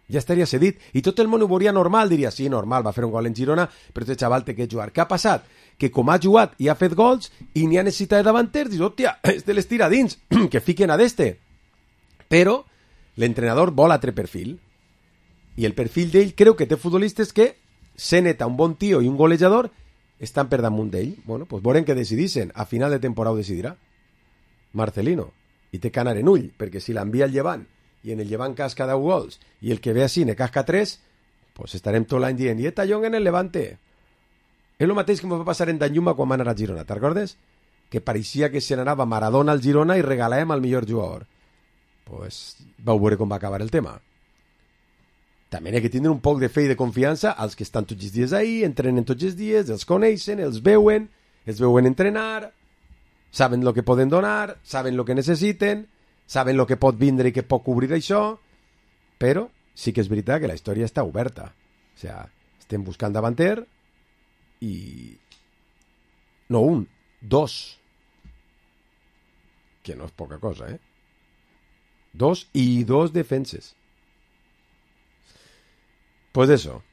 Ja estaria cedit. I tot el món ho veuria normal. Diria, sí, normal, va fer un gol en Girona, però este xaval té que jugar. Què ha passat? Que com ha jugat i ha fet gols i n'hi ha necessitat de davanters, dius, hòstia, este l'estira dins, que fiquen a d'este. Però l'entrenador vol altre perfil. I el perfil d'ell creu que té futbolistes que, sent un bon tio i un golejador, estan per damunt d'ell. Bueno, doncs veurem què decidissin. A final de temporada ho decidirà Marcelino. I té que anar en ull, perquè si l'envia al Llevant i en el Llevant casca deu gols i el que ve així ne casca tres, doncs estarem tot l'any dient, i Etayón en el Levante. És el mateix que em va passar en Danjuma quan va anar a Girona, te'n recordes? Que pareixia que se n'anava Maradona al Girona i regalàvem al millor jugador. Doncs vau veure com va acabar el tema. També hi ha que tindre un poc de fe i de confiança als que estan tots els dies ahí, entrenen tots els dies, els coneixen, els veuen, els veuen entrenar, saben el que poden donar, saben el que necessiten, saben el que pot vindre i que pot cobrir això, però sí que és veritat que la història està oberta. O sigui, estem buscant davanter i... No un, dos. Que no és poca cosa, eh? Dos i dos defenses. Pues eso,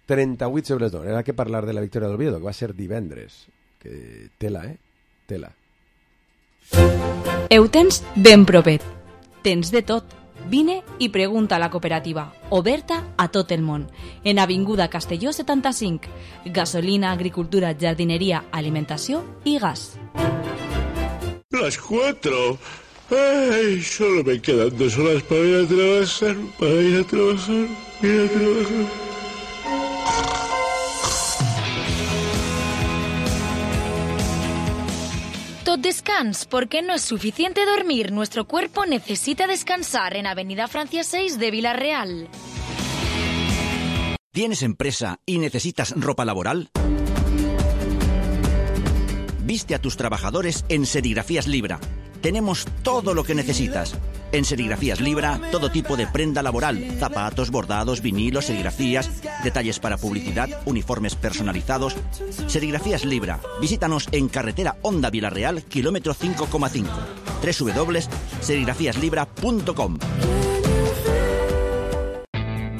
trenta-vuit sobre les dos. Era que parlar de la victòria del Oviedo, que va ser divendres. Que tela, eh? Tela. Heu tens ben propet. Tens de tot. Vine i pregunta a la cooperativa, oberta a tot el món. En Avinguda Castelló setanta-cinc. Gasolina, agricultura, jardineria, alimentació i gas. Las cuatro. Ay, solo me quedan dos horas para ir a trabajar, para ir a trabajar, ir a trabajar. Tot descans, porque no es suficiente dormir. Nuestro cuerpo necesita descansar en Avenida Francia seis de Villarreal. ¿Tienes empresa y necesitas ropa laboral? Viste a tus trabajadores en Serigrafías Libra. Tenemos todo lo que necesitas. En Serigrafías Libra, todo tipo de prenda laboral, zapatos, bordados, vinilos, serigrafías, detalles para publicidad, uniformes personalizados. Serigrafías Libra. Visítanos en carretera Honda Villarreal, kilómetro cinco coma cinco. doble u doble u doble u punt serigrafías libra punt com.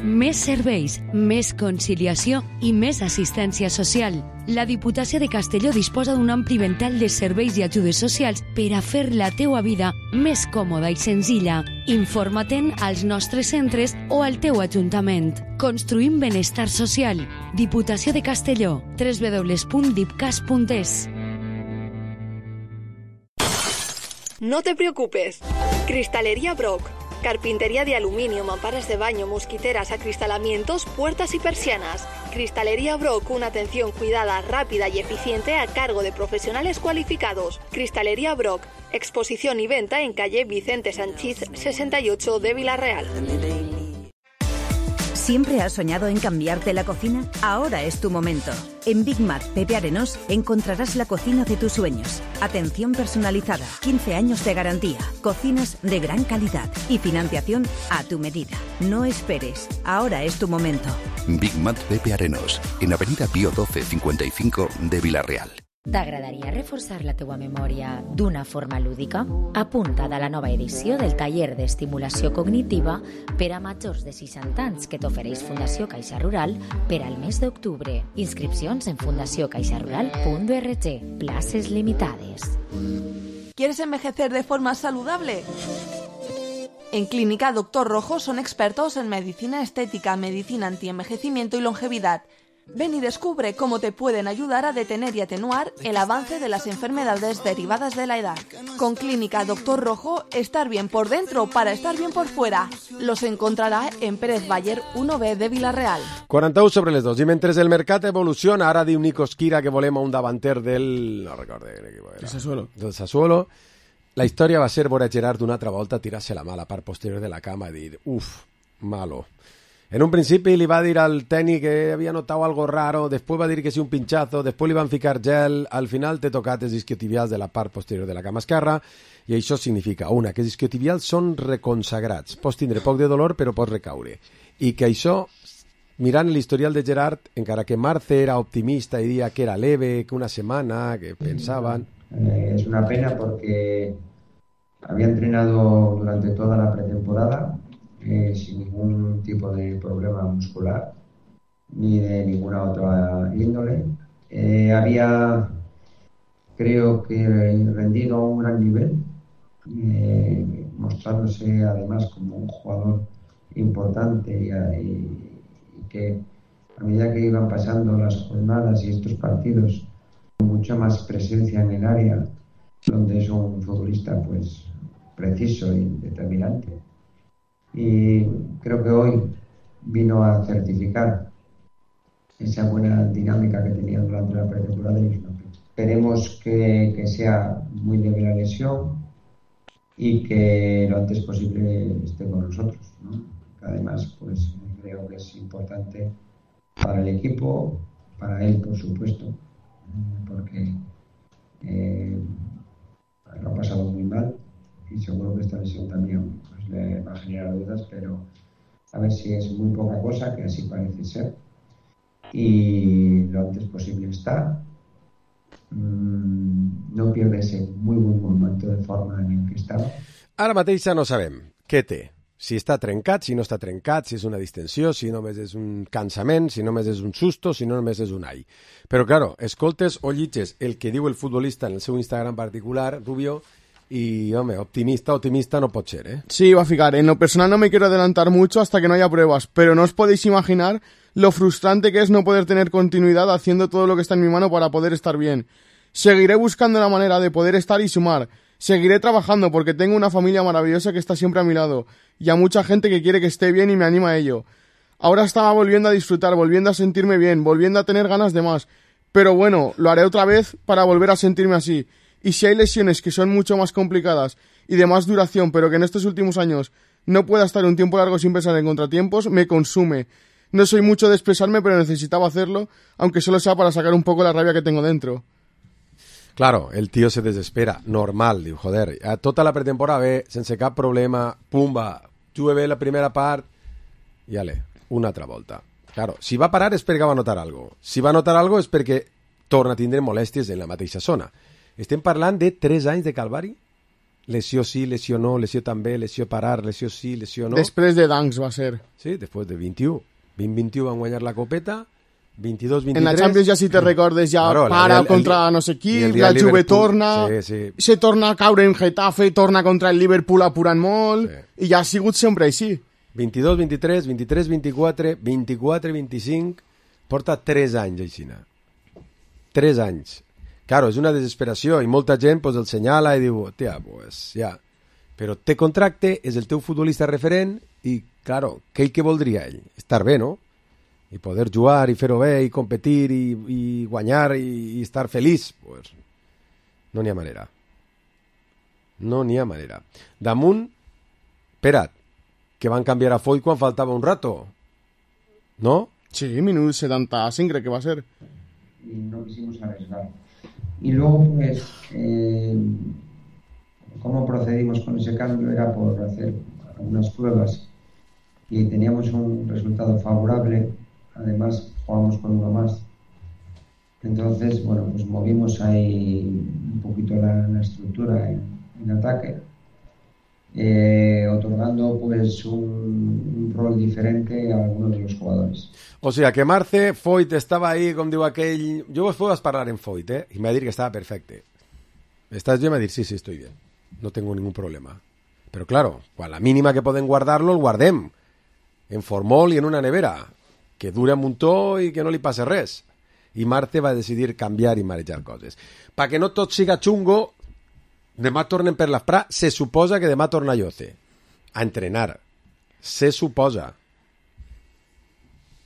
Més serveis, més conciliació i més assistència social. La Diputació de Castelló disposa d'un ampli ventall de serveis i ajudes socials per a fer la teua vida més còmoda i senzilla. Informa-te'n als nostres centres o al teu ajuntament. Construïm benestar social. Diputació de Castelló. doble u doble u doble u punt dipcas punt es. No te preocupes. Cristalería Brock. Carpintería de aluminio, mamparas de baño, mosquiteras, acristalamientos, puertas y persianas. Cristalería Brock, una atención cuidada, rápida y eficiente a cargo de profesionales cualificados. Cristalería Brock, exposición y venta en calle Vicente Sanchís sesenta y ocho de Villarreal. ¿Siempre has soñado en cambiarte la cocina? Ahora es tu momento. En Big Mac Pepe Arenós encontrarás la cocina de tus sueños. Atención personalizada, quince años de garantía, cocinas de gran calidad y financiación a tu medida. No esperes, ahora es tu momento. Big Mac Pepe Arenós, en Avenida Pío doce cincuenta y cinco de Villarreal. T'agradaria reforçar la teua memòria d'una forma lúdica? Apunta't a la nova edició del taller d'estimulació cognitiva per a majors de seixanta anys que t'ofereix Fundació Caixa Rural per al mes d'octubre. Inscripcions en fundació caixa rural punt org. Places limitades. ¿Quieres envejecer de forma saludable? En Clínica Doctor Rojo son expertos en medicina estética, medicina antienvejecimiento y longevidad. Ven y descubre cómo te pueden ayudar a detener y atenuar el avance de las enfermedades derivadas de la edad. Con Clínica Doctor Rojo, estar bien por dentro para estar bien por fuera. Los encontrarà en Pérez Baller uno B de Villarreal. quaranta-u sobre les dos. I mentre el mercat evoluciona, ara diu Nico Esquira que volem un davanter del... no recordo quin equip era. El Sassuolo. Del Sassuolo. La història va ser veure Gerard una altra volta tirar-se la mà a la part posterior de la cama i dir, uf, malo. En un principi li va dir al tècnic que havia notat algo raro, després va dir que sí un pinchazo, després li van ficar gel, al final té tocat els isquiotibials de la part posterior de la cama esquerra, i això significa, una, que els isquiotibials són reconsagrats, pots tindre poc de dolor però pots recaure, i que això, mirant l'historial de Gerard, encara que Marce era optimista i dia que era leve, que una setmana, que pensaban... Eh, es una pena porque había entrenado durante toda la pretemporada, Eh, sin ningún tipo de problema muscular ni de ninguna otra índole. Eh, había, creo que, rendido a un gran nivel, eh, mostrándose además como un jugador importante y, y, y que a medida que iban pasando las jornadas y estos partidos, con mucha más presencia en el área, donde es un futbolista pues preciso y determinante. Y creo que hoy vino a certificar esa buena dinámica que tenía durante la pretemporada y esperemos que, que sea muy leve la lesión y que lo antes posible esté con nosotros, ¿no? Además, pues creo que es importante para el equipo, para él por supuesto, porque eh, lo ha pasado muy mal y seguro que esta lesión también pues, le va a generar dudas, pero a ver si es muy poca cosa, que así parece ser, y lo antes posible está. Mm, no pierde ese muy buen momento de forma en el que estaba. Ara mateix ja no sabem què té, si està trencat, si no està trencat, si és una distensió, si només és un cansament, si només és un susto, si no només és un ai. Però, claro, escoltes o llitges el que diu el futbolista en el seu Instagram particular, Rubio, y, hombre, optimista, optimista no pot ser, ¿eh? Sí, va a fijar. En lo personal no me quiero adelantar mucho hasta que no haya pruebas, pero no os podéis imaginar lo frustrante que es no poder tener continuidad haciendo todo lo que está en mi mano para poder estar bien. Seguiré buscando la manera de poder estar y sumar. Seguiré trabajando porque tengo una familia maravillosa que está siempre a mi lado y a mucha gente que quiere que esté bien y me anima a ello. Ahora estaba volviendo a disfrutar, volviendo a sentirme bien, volviendo a tener ganas de más. Pero bueno, lo haré otra vez para volver a sentirme así. Y si hay lesiones que son mucho más complicadas y de más duración, pero que en estos últimos años no pueda estar un tiempo largo sin pensar en contratiempos, me consume. No soy mucho de expresarme, pero necesitaba hacerlo, aunque solo sea para sacar un poco la rabia que tengo dentro. Claro, el tío se desespera, normal, diu, joder, a tota la pretemporada bé, sense cap problema, pumba, jugué bé la primera part, i ale, una altra volta. Claro, si va parar és perquè va notar algo. Si va notar algo és perquè torna a tindre molèsties en la mateixa zona. Estem parlant de tres anys de calvari? Lesió sí, lesió no, lesió també, lesió parar, lesió sí, lesió no. Després de Danks va ser. Sí, després de vint-i-u. vint vint-i-u van guanyar la copeta, vint-i-dos vint-i-tres... En la Champions ja, si te recordes, ja claro, para el, contra el, no sé qui, la Juve torna, sí, sí. se torna a caure en Getafe, torna contra el Liverpool apurant molt, sí. I ja ha sigut sempre així. vint-i-dos vint-i-tres, vint-i-tres vint-i-quatre, vint-i-quatre vint-i-cinc, porta tres anys aixina. tres anys. Claro, és una desesperació i molta gent pues, el senyala i diu, tia, pues ja, però té contracte, és el teu futbolista referent i, claro, què ell que voldria ell? Estar bé, no? I poder jugar i fer-ho bé i competir i, i guanyar i, i estar feliç. Pues, no n'hi ha manera. No n'hi ha manera. Damunt, espera't, que van canviar a Foyt quan faltava un rato. ¿No? Sí, minut setanta-cinc crec que va ser. Y no quisimos arriesgar. Y luego, pues, eh, cómo procedimos con ese cambio era por hacer algunas pruebas y teníamos un resultado favorable. Además, jugamos con uno más. Entonces, bueno, pues movimos ahí un poquito la, la estructura en, en ataque, eh, otorgando pues un, un rol diferente a algunos de los jugadores. O sea, que Marce, Foyt estava ahí, com diu aquell... Jo vos puedo parlar en Foyt, eh? I m'ha dit que estava perfecte. Estàs jo? M'ha dit, sí, sí, estoy bien. No tengo ningún problema. Pero claro, quan la mínima que poden guardar-lo, el guardem. En formol i en una nevera. Que dure un muntó i que no li passe res. I Marce va decidir canviar i marejar coses. Pa que no tot siga xungo, demà tornen per l'Afrà, se suposa que demà torna Yoce a entrenar. Se suposa.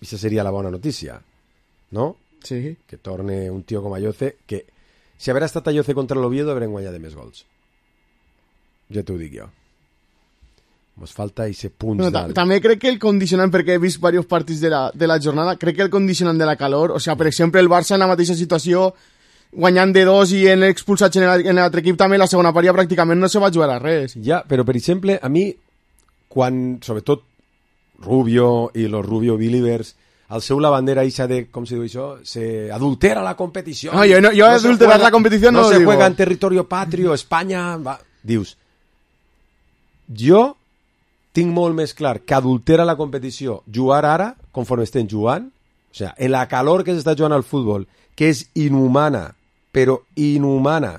I això seria la bona notícia, no? Sí. Que torne un tio com a Yoce, que si haver estat a Yoce contra l'Oviedo haurem guanyat de més gols. Ja t'ho dic jo. Mos falta ese punt no, d'alt. També crec que el condicionant, perquè he vist diversos partits de la, de la jornada, crec que el condicionant de la calor, o sea, per exemple, el Barça en la mateixa situació, guanyant de dos i en expulsats en l'altre equip també, la segona part ja pràcticament no se va jugar a res. Ja, però per exemple, a mi, quan, sobretot, Rubio i los Rubio Believers, al seu la bandera isa de, com se diu això, se adultera la competició. No, jo, no, jo no adulterar la competició no, no se digo. juega en territorio patrio, Espanya... Va. Dius, jo tinc molt més clar que adultera la competició jugar ara, conforme estem jugant, o sea, en la calor que s'està jugant al futbol, que és inhumana, però inhumana.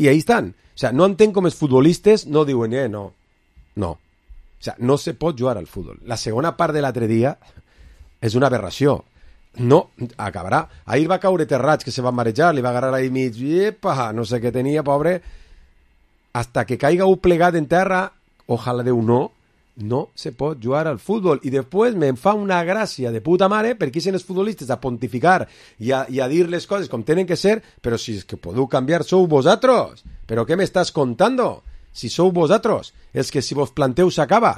I ahí estan. O sea, no entenc com els futbolistes no diuen, eh, no, no. O sea, no se pot jugar al futbol. La segona part de l'altre dia és una aberració. No, acabarà. Ahir va caure Terrats, que se va marejar, li va agarrar ahí mig, epa, no sé què tenia, pobre. Hasta que caiga un plegat en terra, ojalà Déu no, no se pot jugar al futbol. I després me'n fa una gràcia de puta mare perquè ixen els futbolistes a pontificar i a, i a dir les coses com tenen que ser, però si és que podeu canviar sou vosaltres. Però què m'estàs contando? Si sou vosaltres, és que si vos planteu s'acaba.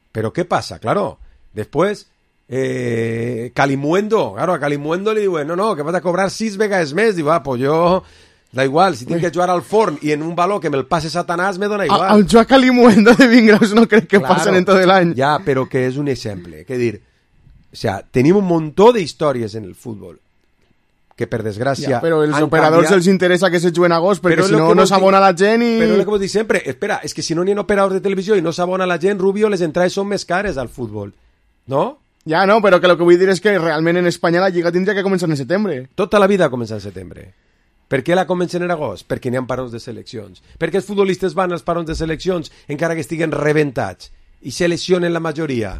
Però què passa? Claro, després eh, Calimuendo, claro, a Calimuendo li diuen, no, no, que vas a cobrar sis vegades més. Diu, ah, pues jo... Da igual, si tinc que jugar al forn i en un baló que me'l passe Satanàs, me dona igual. El joc Calimuendo de Vingraus no crec que claro, passen en tot l'any. Ja, però que és un exemple. Que dir, o sea, tenim un muntó d'històries en el futbol que per desgràcia... Ja, però els operadors canviat. Els interessa que se juguen a agost perquè si no, no s'abona la gent i... Però el que vos dic sempre, espera, és que si no n'hi ha operadors de televisió i no s'abona la gent, Rubio, les entrades són més cares al futbol, no? Ja, no, però que el que vull dir és que realment en Espanya la Lliga tindria que començar en setembre. Tota la vida comença en setembre. Per què la comencen en agost? Perquè n'hi ha parons de seleccions. Perquè els futbolistes van als parons de seleccions encara que estiguen rebentats i se lesionen la majoria.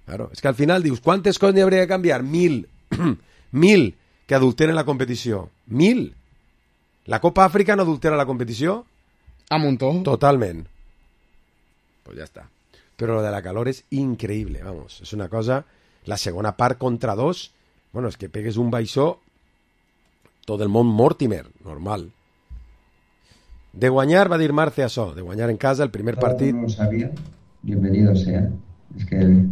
Claro, és que al final dius, quantes coses n'hi hauria de canviar? Mil. Mil que adulteren la competició. Mil. La Copa Àfrica no adultera la competició? A muntó. Totalment. Pues ja està. Però lo de la calor és increïble, vamos. És una cosa... La segona part contra dos, bueno, és que pegues un baixó tot el món Mortimer, normal. De guanyar, va dir Marce això, de guanyar en casa el primer partit. No lo sabía, bienvenido sea. Es que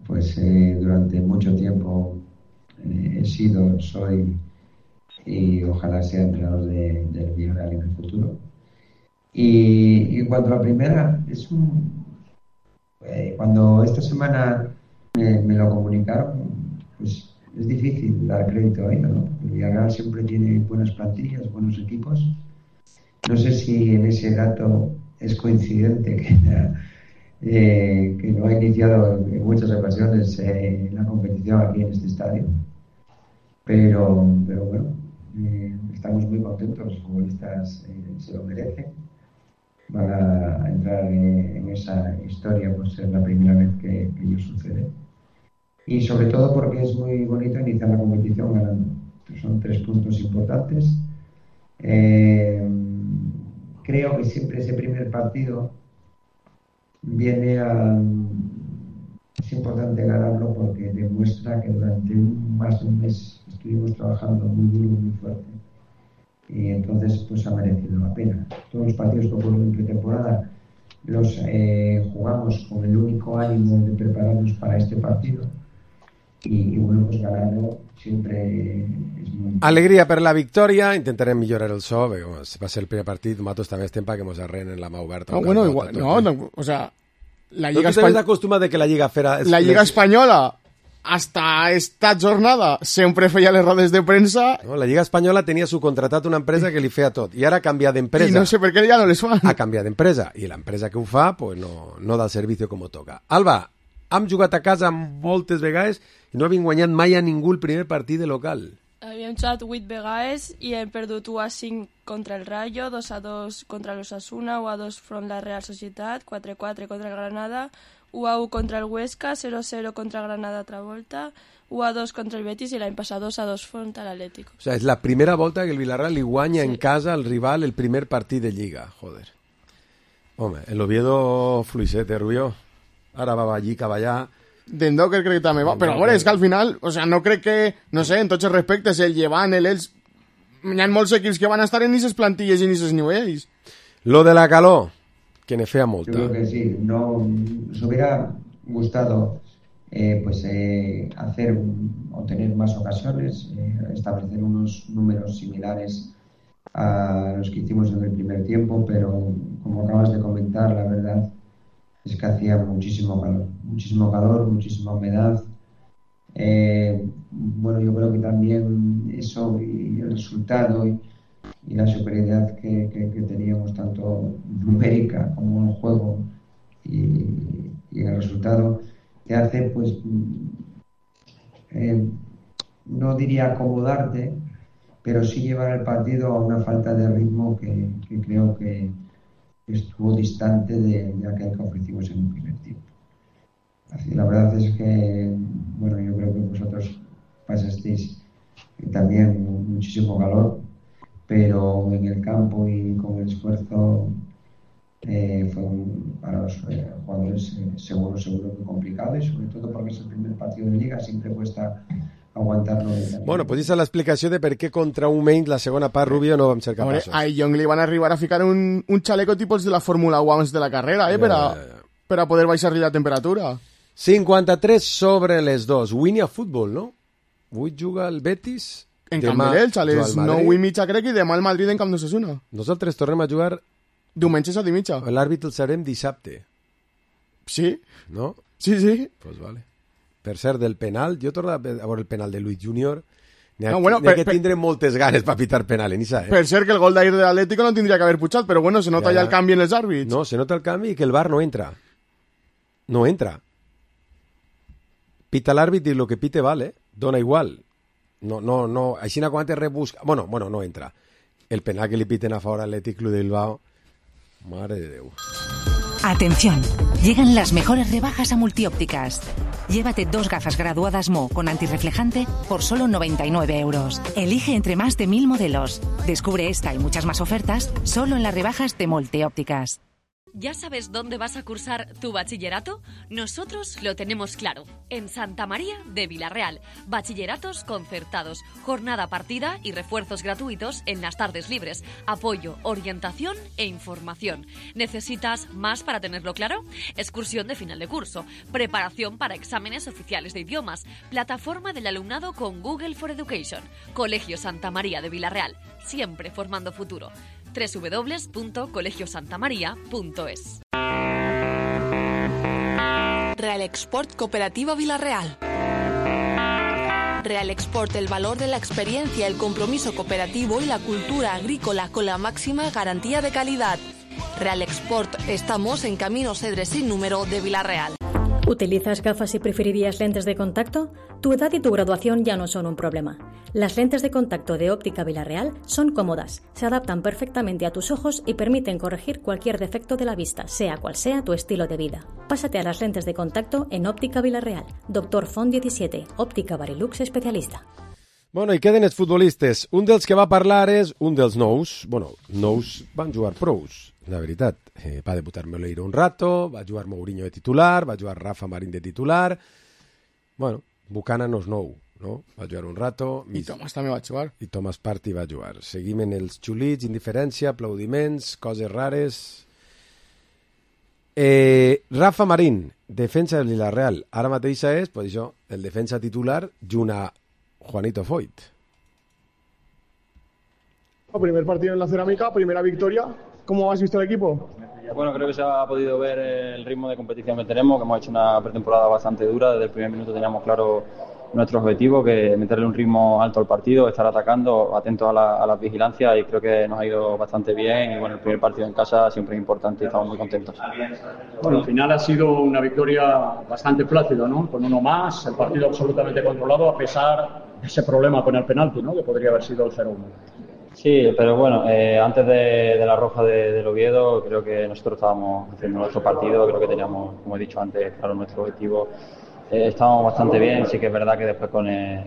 pues eh, durante mucho tiempo eh, he sido, soy y ojalá sea entrenador de, del Villarreal en el futuro. Y, y en cuanto a la primera, es un eh, cuando esta semana me, me lo comunicaron, pues es difícil dar crédito ahí, ¿no? El Villarreal siempre tiene buenas plantillas, buenos equipos. No sé si en ese dato es coincidente que, eh, que no ha iniciado en muchas ocasiones eh, la competición aquí en este estadio. Pero, pero bueno, eh, estamos muy contentos, los futbolistas eh, se lo merecen. Van a entrar eh, en esa historia por ser la primera vez que, que ello sucede. Y sobre todo porque es muy bonito iniciar la competición ganando. Son tres puntos importantes. Eh, creo que siempre ese primer partido viene a... Es importante ganarlo porque demuestra que durante un, más de un mes estuvimos trabajando muy duro, muy fuerte. Y entonces pues ha merecido la pena. Todos los partidos que ocurren en pretemporada los eh, jugamos con el único ánimo de prepararnos para este partido. Y, y bueno, pues ganarlo siempre és molt... Alegria per la victòria, intentarem millorar el so, perquè bueno, va ser el primer partit, nosaltres també estem perquè mos arrenen la mà oberta. No, bueno, igual, no, no, o sea, la Lliga Espanyola... No, tu acostumat de que la Lliga fera... La Lliga Espanyola, hasta esta jornada, sempre feia les rodes de premsa... No, la Lliga Espanyola tenia subcontratat una empresa que li feia tot, i ara ha canviat d'empresa. I no sé per què ja no les fan. Ha canviat d'empresa, i l'empresa que ho fa, pues no, no da el servicio com toca. Alba, hem jugat a casa moltes vegades i no havien guanyat mai a ningú el primer partit de local. Havíem jugat vuit vegades i hem perdut u a cinc contra el Rayo, dos a dos contra l'Osasuna, u a dos front la Real Societat, quatre a quatre contra el Granada, u a u contra el Huesca, zero a zero contra el Granada altra volta, u a dos contra el Betis i l'any passat dos a dos front a l'Atlético. O sea, és la primera volta que el Villarreal li guanya sí. en casa al rival el primer partit de Lliga, joder. Home, el Oviedo fluixet, eh, Rubio? Ara va allí, cap allà... D'Endoker crec que també va, però bueno, és que al final, o sea, no crec que, no sé, en tots els respectes, el Llevant, el Els, hi ha molts equips que van a estar en aquestes plantilles i en aquests nivells. Lo de la calor, que ne fea molta. Yo creo que sí, no, nos hubiera gustado eh, pues eh, hacer un, o tener más ocasiones, eh, establecer unos números similares a los que hicimos en el primer tiempo, pero como acabas de comentar, la verdad es que hacía muchísimo calor, muchísimo calor, muchísima humedad. Eh, bueno, yo creo que también eso y el resultado y, y la superioridad que, que, que teníamos tanto numérica como en juego y, y el resultado te hace, pues, eh, no diría acomodarte, pero sí llevar el partido a una falta de ritmo que, que creo que estuvo distante de, de aquel que ofrecimos en el primer tiempo. Así, la verdad es que, bueno, yo creo que vosotros pasasteis también muchísimo calor, pero en el campo y con el esfuerzo eh, fue un, para los eh, jugadores eh, seguro, seguro que complicado, y sobre todo porque es el primer partido de Liga, siempre cuesta aguantar-lo. Bueno, pues esa és l'explicació de per què contra un menys la segona part, Rubio, no vam ser capaços. A Young li van arribar a ficar un, un chaleco tipus de la Fórmula uno abans de la carrera, eh, per a, per a poder baixar-li la temperatura. cinquanta-tres sobre les dos. Avui n'hi ha futbol, no? Avui juga el Betis. En Camp de l'Elx, a les nou i mitja crec, i demà el Madrid en Camp d'Osasuna. Nosaltres tornem a jugar... Diumenge a set i mitja. L'àrbit el serem dissabte. Sí. No? Sí, sí. Pues vale. Per cert, del penal, jo torno a veure el penal de Luis Junior. N'hi ha, no, bueno, per, que tindre per, moltes ganes per pitar penal, en Isa, eh? Per cert que el gol d'ahir de l'Atlético no tindria que haver pujat, però bueno, se nota ja, ja el canvi en els àrbits. No, se nota el canvi i que el V A R no entra. No entra. Pita l'àrbit i el que pite vale, dona igual. No, no, no, així no quan te rebusca... Bueno, bueno, no entra. El penal que li piten a favor al Athletic Club de Bilbao, madre de Déu. Atención, llegan las mejores rebajas a Multiópticas. Llévate dos gafas graduadas Mo con antirreflejante por solo noventa y nueve euros. Elige entre más de mil modelos. Descubre esta y muchas más ofertas solo en las rebajas de Multiópticas. ¿Ya sabes dónde vas a cursar tu bachillerato? Nosotros lo tenemos claro. En Santa María de Villarreal. Bachilleratos concertados, jornada partida y refuerzos gratuitos en las tardes libres. Apoyo, orientación e información. ¿Necesitas más para tenerlo claro? Excursión de final de curso. Preparación para exámenes oficiales de idiomas. Plataforma del alumnado con Google for Education. Colegio Santa María de Villarreal. Siempre formando futuro. doble u doble u doble u punto colegio santa maría punto es. Real Export Cooperativa Villarreal. Real Export, el valor de la experiencia, el compromiso cooperativo y la cultura agrícola con la máxima garantía de calidad. Real Export, estamos en Camino Cedres sin número de Villarreal. ¿Utilizas gafas y preferirías lentes de contacto? Tu edad y tu graduación ya no son un problema. Las lentes de contacto de Óptica Villarreal son cómodas, se adaptan perfectamente a tus ojos y permiten corregir cualquier defecto de la vista, sea cual sea tu estilo de vida. Pásate a las lentes de contacto en Óptica Villarreal. Doctor Font diecisiete, Óptica Barilux especialista. Bueno, i queden els futbolistes. Un dels que va parlar és un dels nous. Bueno, nous van jugar pros, la veritat. Eh, va debutar Moleiro un rato, va jugar Mourinho de titular, va jugar Rafa Marín de titular. Bueno, Buchanan no és nou, no? Va jugar un rato. I Thomas també va jugar. I Thomas Partey va jugar. Seguim en els xulits, indiferència, aplaudiments, coses rares. Eh, Rafa Marín, defensa del Villarreal. Ara mateix és, pues això, el defensa titular junt a Juanito Foyt. Primer partido en la Cerámica, primera victoria. ¿Cómo has visto el equipo? Bueno, creo que se ha podido ver el ritmo de competición que tenemos, que hemos hecho una pretemporada bastante dura. Desde el primer minuto teníamos claro nuestro objetivo, que meterle un ritmo alto al partido, estar atacando, atentos a la, a las vigilancias, y creo que nos ha ido bastante bien. Y bueno, el primer partido en casa siempre es importante y estamos muy contentos. Bueno, al final ha sido una victoria bastante plácida, ¿no? Con uno más, el partido absolutamente controlado, a pesar de ese problema con el penalti, ¿no? Que podría haber sido el cero uno. Sí, pero bueno, eh, antes de, de la roja de, del Oviedo, creo que nosotros estábamos haciendo nuestro partido, creo que teníamos, como he dicho antes, claro, nuestro objetivo. Eh, estábamos bastante bien, sí que es verdad que después con, eh,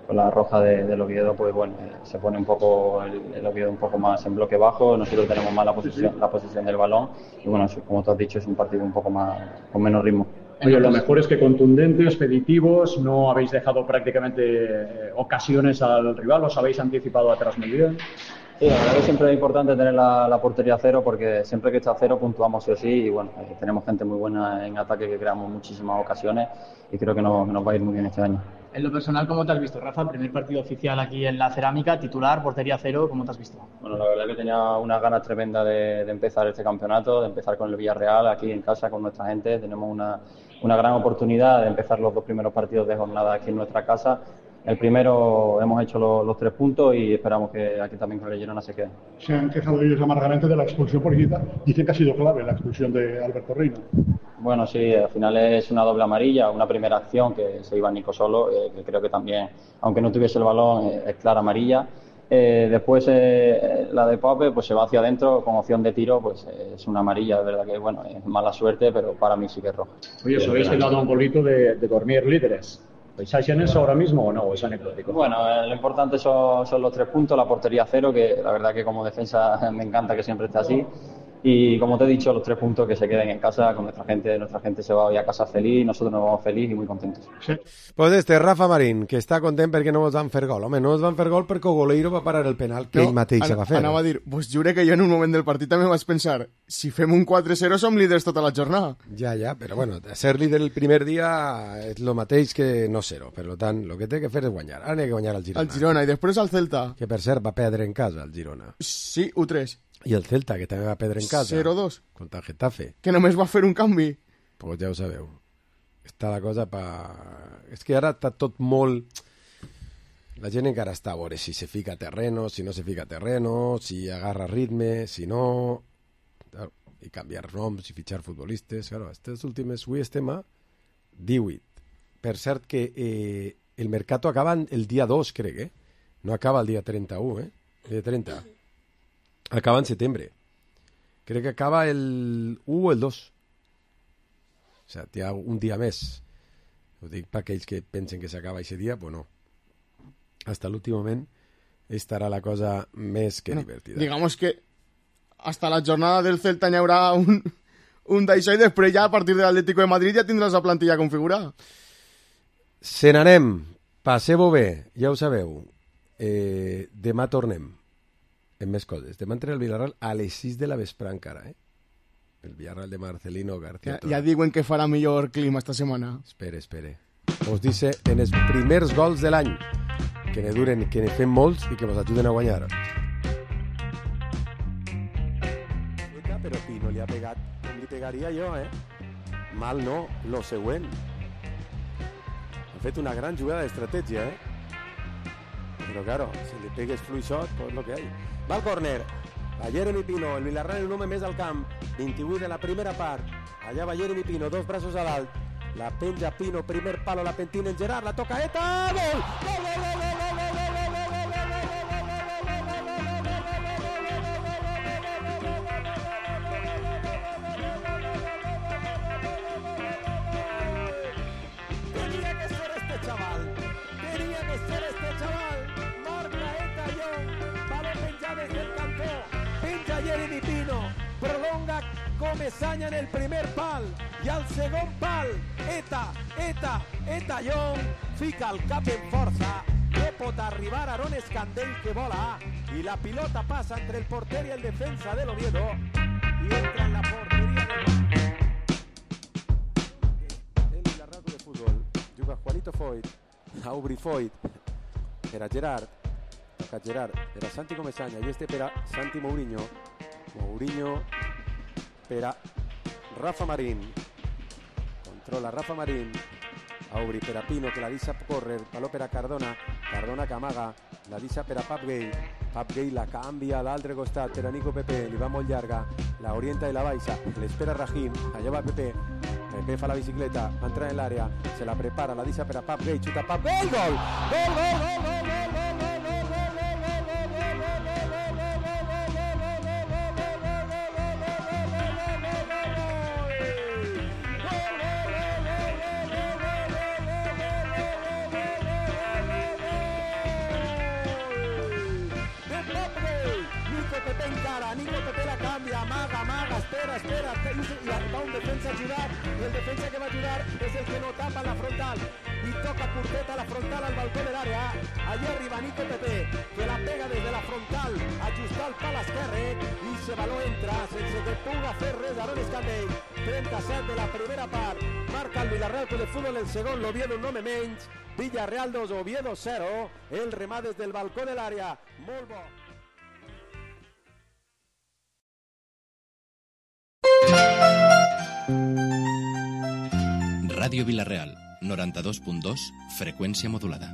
con la roja de, del Oviedo, pues bueno, eh, se pone un poco el, el Oviedo un poco más en bloque bajo, nosotros tenemos más la posición, la posición del balón, y bueno, como tú has dicho, es un partido un poco más, con menos ritmo. Oye, lo mejor es que contundentes, expeditivos, no habéis dejado prácticamente eh, ocasiones al rival, os habéis anticipado atrás muy bien. Sí, la verdad que siempre es importante tener la, la portería a cero, porque siempre que está a cero puntuamos sí o sí, y bueno, eh, tenemos gente muy buena en ataque, que creamos muchísimas ocasiones, y creo que nos, que nos va a ir muy bien este año. En lo personal, ¿cómo te has visto, Rafa? Primer partido oficial aquí en la Cerámica, titular, portería cero, ¿cómo te has visto? Bueno, la verdad que tenía unas ganas tremendas de, de empezar este campeonato, de empezar con el Villarreal aquí en casa, con nuestra gente. Tenemos una, una gran oportunidad de empezar los dos primeros partidos de jornada aquí en nuestra casa. El primero hemos hecho los, los tres puntos y esperamos que aquí también con el Girona se quede. Se han quejado ellos amargamente de la expulsión por Iguita. Dicen que ha sido clave la expulsión de Alberto Reina. Bueno, sí, al final es una doble amarilla, una primera acción que se iba Nico solo, eh, que creo que también, aunque no tuviese el balón, eh, es clara amarilla. Eh, después eh, la de Pope pues se va hacia adentro con opción de tiro, pues eh, es una amarilla, de verdad que bueno, es mala suerte, pero para mí sí que es roja. Oye, os habéis quedado un bolito de, de dormir líderes. ¿Pensáis en eso ahora mismo o no? ¿O es anecdótico? Bueno, eh, lo importante son, son los tres puntos, la portería cero, que la verdad que como defensa me encanta que siempre esté así. Y como te he dicho, los tres puntos que se queden en casa con nuestra gente. Nuestra gente se va hoy a casa feliz, nosotros nos vamos feliz y muy contentos. Sí. Pues este, Rafa Marín, que està content perquè no ens van fer gol. Home, no ens van fer gol perquè Goleiro va parar el penal que no, ell mateix an va fer. Anava a dir, pues jure que jo en un moment del partit també vaig pensar, si fem un quatre zero som líders tota la jornada. Ja, ja, però bueno, ser líder el primer dia és el mateix que no ser-ho. Per tant, el que té que fer és guanyar. Ara n'hi ha que guanyar al Girona. Al Girona, i després al Celta. Que per cert va perdre en casa al Girona. Sí, u tres. I el Celta, que també va perdre en casa. zero dos. Contra el Getafe. Que només va fer un canvi. Pues ja ho sabeu. Està la cosa pa... És que ara està tot molt... La gent encara està a veure si se fica terreno, si no se fica terreno, si agarra ritme, si no... Claro, i canviar noms i fitxar futbolistes. Claro, aquestes últimes... Avui estem a divuit. Per cert que eh, el mercato acaba el dia dos, crec, eh? No acaba el dia trenta-u, eh? El dia trenta. Acaba en setembre. Crec que acaba el u o el dos. O sea, hi ha un dia més. Ho dic per aquells que pensen que s'acaba aquest dia, pues no. Hasta l'últim moment estarà la cosa més que bueno, divertida. Digamos que hasta la jornada del Celta n'hi haurà un, un d'això i després ja a partir de l'Atlético de Madrid ja tindràs la plantilla configurada. Se n'anem. Passeu-ho bé, ja ho sabeu. Eh, demà tornem. En més coses. Demà entra el Villarreal a les sis de la vespre encara, eh? El Villarreal de Marcelino García. Ja, ja diuen que farà millor clima esta setmana. Espere, espere. Us dice en els primers gols de l'any. Que ne duren, que ne fem molts i que ens ajuden a guanyar. Però Pino li ha pegat com li pegaria jo, eh? Mal no, lo següent. Ha fet una gran jugada d'estratègia, eh? Pero claro, si le pegues fluixot, pues lo que hay. Va al córner. A Jeremy Pino, el Villarreal el home més al camp. vint-i-vuit de la primera part. Allà va Jeremy Pino, dos braços a dalt. La penja Pino, primer palo, la pentina en Gerard, la toca Eta, gol! Gol, gol, gol, gol, gol, gol, gol, gol, gol, gol, Tenía que ser este chaval. Tenía que ser este chaval. prolonga Comesaña en el primer pal i al segon pal Eta, Eta, Eta Young fica el cap en força, no pot arribar Aaron Escandell que vola i la pilota passa entre el porter i el defensa de l'Oviedo i entra en la porteria de el Villarreal de Futbol. Juga Juanito Foyt, Aubry Foyt per a Gerard, toca Gerard per a Santi Comesaña i este per a Santi Mourinho. Mourinho per a Rafa Marín, controla Rafa Marín, Aubry per a Pino que la deixa córrer, baló per a Cardona, Cardona que amaga, la deixa per a Pap Gay, Pap Gay la canvia a l'altre costat per a Nico Pepe, li va molt llarga, la orienta i la baixa, l'espera Rahim, allà va Pepe, Pepe fa la bicicleta, entra en l'àrea, se la prepara, la deixa per a Pap Gay, xuta Pap Gay, gol! Gol, gol, gol, gol, gol, gol, gol, gol, Nico Pepe la canvia, amaga, amaga, espera, espera, i va un defensa a ajudar, i el defensa que va a ajudar és el que no tapa la frontal, i toca curteta la frontal al balcó de l'àrea, allí arriba Nico Pepe, que la pega des de la frontal, ajustar el pal esquerre, i se baló entra, sense que puga fer res Aaron Escandell, trenta-set de la primera part, marca el Villarreal Club de Futbol el segon, l'Oviedo un home menys, Villarreal dos, Oviedo zero, el remat des del balcó de l'àrea, molt bo. Ràdio Vilareal, noranta-dos punt dos, freqüència modulada.